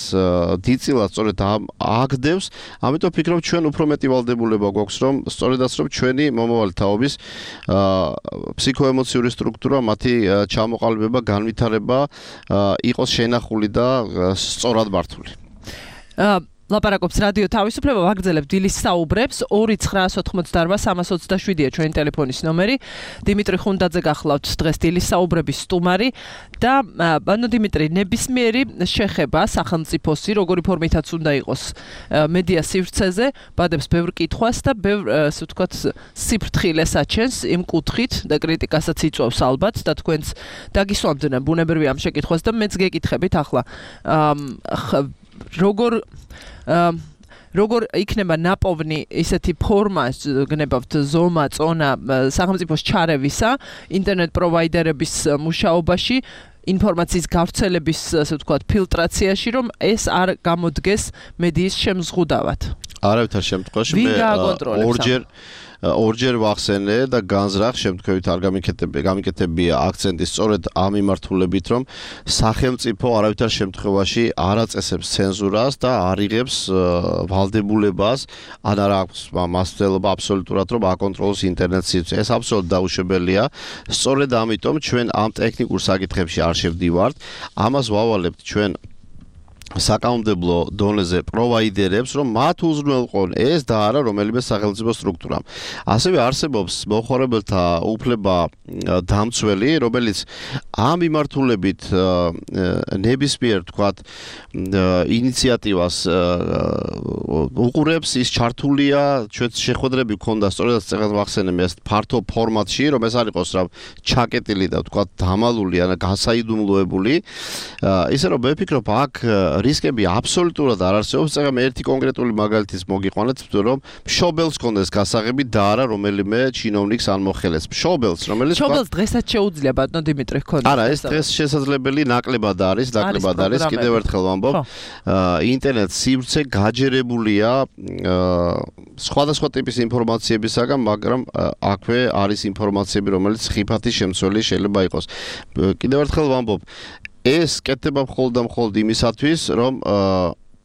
დიდწილად სწორედ აგდევს. ამიტომ ვფიქრობ ჩვენ უფრო მეტი ვალდებულება გვაქვს რომ სწორედაც რომ ჩვენი მომავალი თაობის ფსიქოემოციური სტრუქტურა მათი ჩამოყალიბება, განვითარება იყოს შენახული და სწორად მართული. ლაპარაკობს რადიო თავისუფლება, ვაგრძელებ დილის საუბრებს. ორი ცხრაას ოთხმოცდაარბა სამას ოცდაშვიდია ჩვენი ტელეფონის ნომერი. დიმიტრი ხუნდაძე გახლავთ დღეს დილის საუბრების სტუმარი და ბანო დიმიტრი, ნებისმიერი შეხება სახელმწიფოსი, როგორი ფორმითაც უნდა იყოს მედია სივრცეზე, ბადებს ბევრ კითხვას და ბევრ, ასე ვთქვათ, სიფრთხილეს აჩენს იმ კუთხით და კრიტიკასაც იწვევს ალბათ და თქვენც დაგისვამდნენ ბუნებრივი ამ შეკითხვას და მეც გეკითხებით ახლა როგორ როგორ იქნება ნაპოვნი ისეთი ფორმა გნებავთ ზომა, წონა სახელმწიფოს ჩარევისა ინტერნეტ პროვაიდერების მუშაობაში ინფორმაციის გავრცელების ასე ვთქვათ ფილტრაციაში რომ ეს არ გამოდგეს მედიის შემზღუდავად. არავითარ შემთხვევაში მე ორჯერ ორჯერ ვახსენე და განზრახ შემთხვევით არ გამიკეთებია გამიკეთებია აქცენტი სწორედ ამ მიმართულებით რომ სახელმწიფო არავითარ შემთხვევაში არ აწესებს ცენზურას და არ იღებს ვალდებულებას ან არ აქვს მასწავლება აბსოლუტურად რომ აკონტროლოს ინტერნეტ სივრცე. ეს აბსოლუტურად დაუშვებელია. სწორედ ამიტომ ჩვენ ამ ტექნიკურ საკითხებში არ შევდივართ. ამას ვავალებთ ჩვენ საკანონმდებლო დონეზე პროვაიდერებს, რომ მათ უზრუნველყონ ეს და არა რომელიმე სახელმწიფო სტრუქტურამ. ასევე არსებობს მოხმარებელთა უფლება დამცველი, რომელიც ამ მიმართულებით ნებისმიერ თქვათ ინიციატივას უყურებს, ის ჩართულია, ჩვენ შეხვედრები გქონდა სწორედაც წეგან ვახსენე ეს ფართო ფორმატში, რომ ეს არ იყოს რა ჩაკეტილი და თქვათ დამალული ან გასაიდუმლოებული. ისე რომ მე ვფიქრობ აქ რისკები აბსოლუტურად არ არსებობს. წეგან მე ერთი კონკრეტული მაგალითის მოგიყვანეთ, რომ მშობელს კონდეს გასაღები და არა რომელიმე ჩინოვნიკს ან მოხელეს. მშობელს, რომელიც მშობელს დღესაც შეუძლია ბატონო დიმიტრი ხონდა. არა, ეს დღეს შესაძლებელი ნაკლებად არის, ნაკლებად არის. კიდევ ერთხელ ვამბობ, ინტერნეტ სივრცე გაჯერებულია სხვადასხვა ტიპის ინფორმაციებისაგან, მაგრამ აქვე არის ინფორმაციები, რომელიც ხიფათის შემცველი შეიძლება იყოს. კიდევ ერთხელ ვამბობ, ეს კეთდება მხოლოდ და მხოლოდ იმისათვის, რომ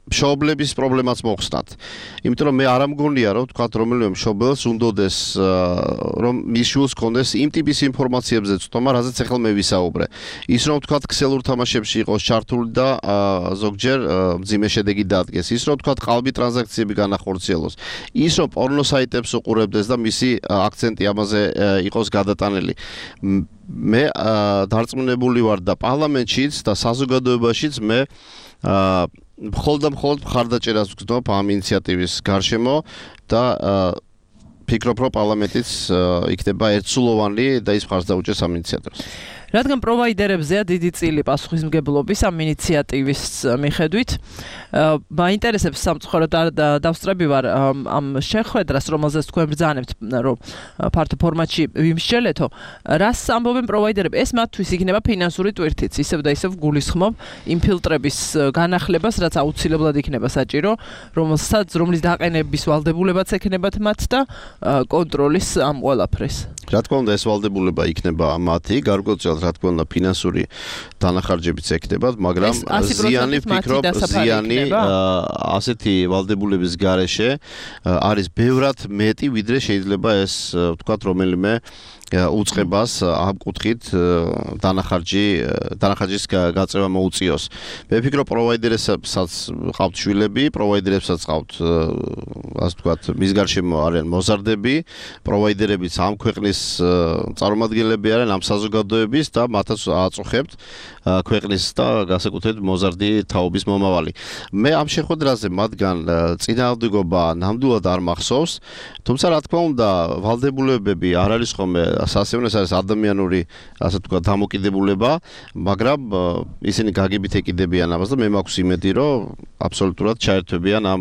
მშობლების პრობლემას მოხსნათ. იმიტომ რომ მე არ ამგონია რომ თქვათ რომელიმე მშობელს უნდოდეს რომ მის შვილს კონდეს იმ ტიპის ინფორმაციებზე ცნობა, რაზეც ახლა მე ვისაუბრე. ის რომ თქვათ ქსელურ თამაშებში იყოს ჩართული და ზოგჯერ მძიმე შედეგი დადგეს. ის რომ თქვათ ყალბი ტრანზაქციები განახორციელოს. ის რომ პორნო საიტებს უყურებდეს და მისი აქცენტი ამაზე იყოს გადატანილი. მე დარწმუნებული ვარ და პარლამენტშიც და საზოგადოებაშიც მე მხოლოდ და მხოლოდ მხარდაჭერას ვგრძნობ ამ ინიციატივის გარშემო და ფიქრობ რომ პარლამენტიც იქნება ერთსულოვანი და ის მხარს დაუჭერს ამ ინიციატივას. რადგან პროვაიდერებზეა დიდი წილი პასუხისმგებლობის ამ ინიციატივის მიხედვით, მაინტერესებს სამწუხაროდ დავსწრები ვარ ამ შეხვედრას, რომელზეც თქვენ ბრძანებთ, რომ ფართო ფორმატში ვიმსჯელეთო, რას ამბობენ პროვაიდერები? ეს მათთვის იქნება ფინანსური ტვირთიც, ისევ და ისევ გულისხმობ იმ ფილტრების განახლებას, რაც აუცილებლად იქნება საჭირო, რომელსაც რომლის დაყენების ვალდებულებაც ექნებათ მათ და კონტროლის ამ ყველაფრის. რა თქმა უნდა, ეს ვალდებულება იქნება მათი, გარკვეულწილად რა თქმა უნდა ფინანსური დანახარჯებიც ექნებათ, მაგრამ ზიანი ვფიქრობ, ზიანი ასეთი ვალდებულების გარეშე არის ბევრად მეტი, ვიდრე შეიძლება ეს ვთქვათ რომელიმე უწყებას ამ კუთხით დანახარჯი დანახარჯის გაწევა მოუწიოს. მე ვფიქრობ პროვაიდერებსაც ყავთ შვილები, პროვაიდერებსაც ყავთ ასე ვთქვათ, მის გარშემო არიან მოზარდები, პროვაიდერებიც ამ ქვეყნის წარმომადგენლები არიან ამ საზოგადოების და მათაც აწუხებთ ქვეყნის და განსაკუთრებით მოზარდი თაობის მომავალი. მე ამ შეხვედრაზე მათგან წინააღმდეგობა ნამდვილად არ მახსოვს, თუმცა რა თქმა უნდა, ვალდებულებები არ არის ხოლმე სასიამოვნო, არის ადამიანური, ასე ვთქვათ, დამოკიდებულება, მაგრამ ისინი გაგებით ეკიდებიან ამას და მე მაქვს იმედი, რომ აბსოლუტურად ჩაერთვებიან ამ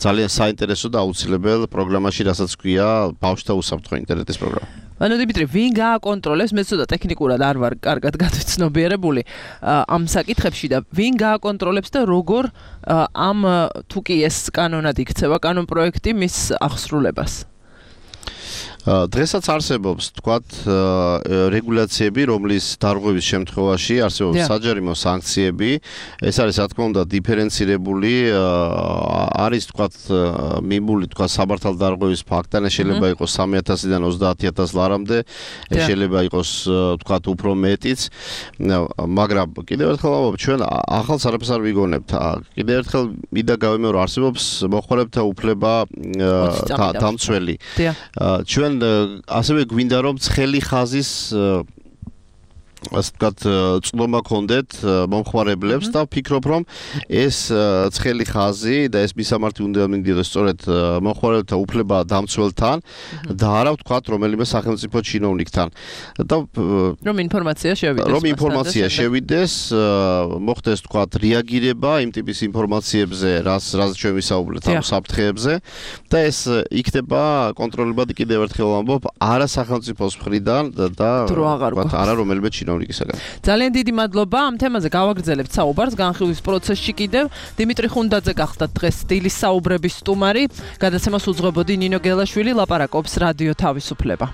ძალიან საინტერესო და აუცილებელ პროგრამაში, რასაც ქვია ბავშვთა უსაფრთხო ინტერნეტის პროგრამა. ანუ დიმიტრი, ვინ გააკონტროლებს? მე ცოტა ტექნიკურად არ ვარ კარგად გაცნობიერებული ამ საკითხებში და ვინ გააკონტროლებს და როგორ ამ თუ კი ეს კანონად იქცევა, კანონ პროექტი მის აღსრულებას? დღესაც არსებობს, თქვათ, რეგულაციები, რომლის დარღვევის შემთხვევაში არსებობს საჯარიმო სანქციები. ეს არის, რა თქმა უნდა, დიფერენცირებული, არის, თქვათ, მიმული, თქვათ, საბართალ დარღვევის ფაქტი, შეიძლება იყოს სამი ათასიდან ოცდაათი ათას ლარამდე, შეიძლება იყოს, თქვათ, უფრო მეტიც. მაგრამ კიდევ ერთხელ ვამბობ, ჩვენ ახალს არაფერს არ ვიგონებთ. კიდევ ერთხელ მინდა გავიმეორო, არსებობს მოხმარებთა უფლება დამცველი. ჩვენ ასევე გვინდა რომ ცხელი ხაზის ასე ვთქვათ, წლომა ქონდეთ მომხმარებლებს და ვფიქრობ, რომ ეს ცხელი ხაზი და ეს მისამართი უნდა მინდიოდეს სწორედ მომხმარებელთა უფლება დამცველთან და არა ვთქვათ, რომელიმე სახელმწიფო ჩინოვნიკთან. და რომ ინფორმაცია შევიდეს. რომ ინფორმაცია შევიდეს, მოხდეს ვთქვათ, რეაგირება იმ ტიპის ინფორმაციებზე, რაც რაც ჩვენ ვისაუბრეთ ამ საფრთხეებზე და ეს იქნება კონტროლებადი კიდევ ერთხელ ვამბობ, არა სახელმწიფოს მხრიდან და ვთქვათ, არა რომელიმე ჩინოვნიკისაგან. ძალიან დიდი მადლობა ამ თემაზე გავაგრძელებთ საუბარს განხილვის პროცესში კიდევ. დიმიტრი ხუნდაძე გახდა დღეს დილის საუბრების სტუმარი. გადაცემას უძღვებოდი ნინო გელაშვილი, ლაპარაკობს რადიო თავისუფლება.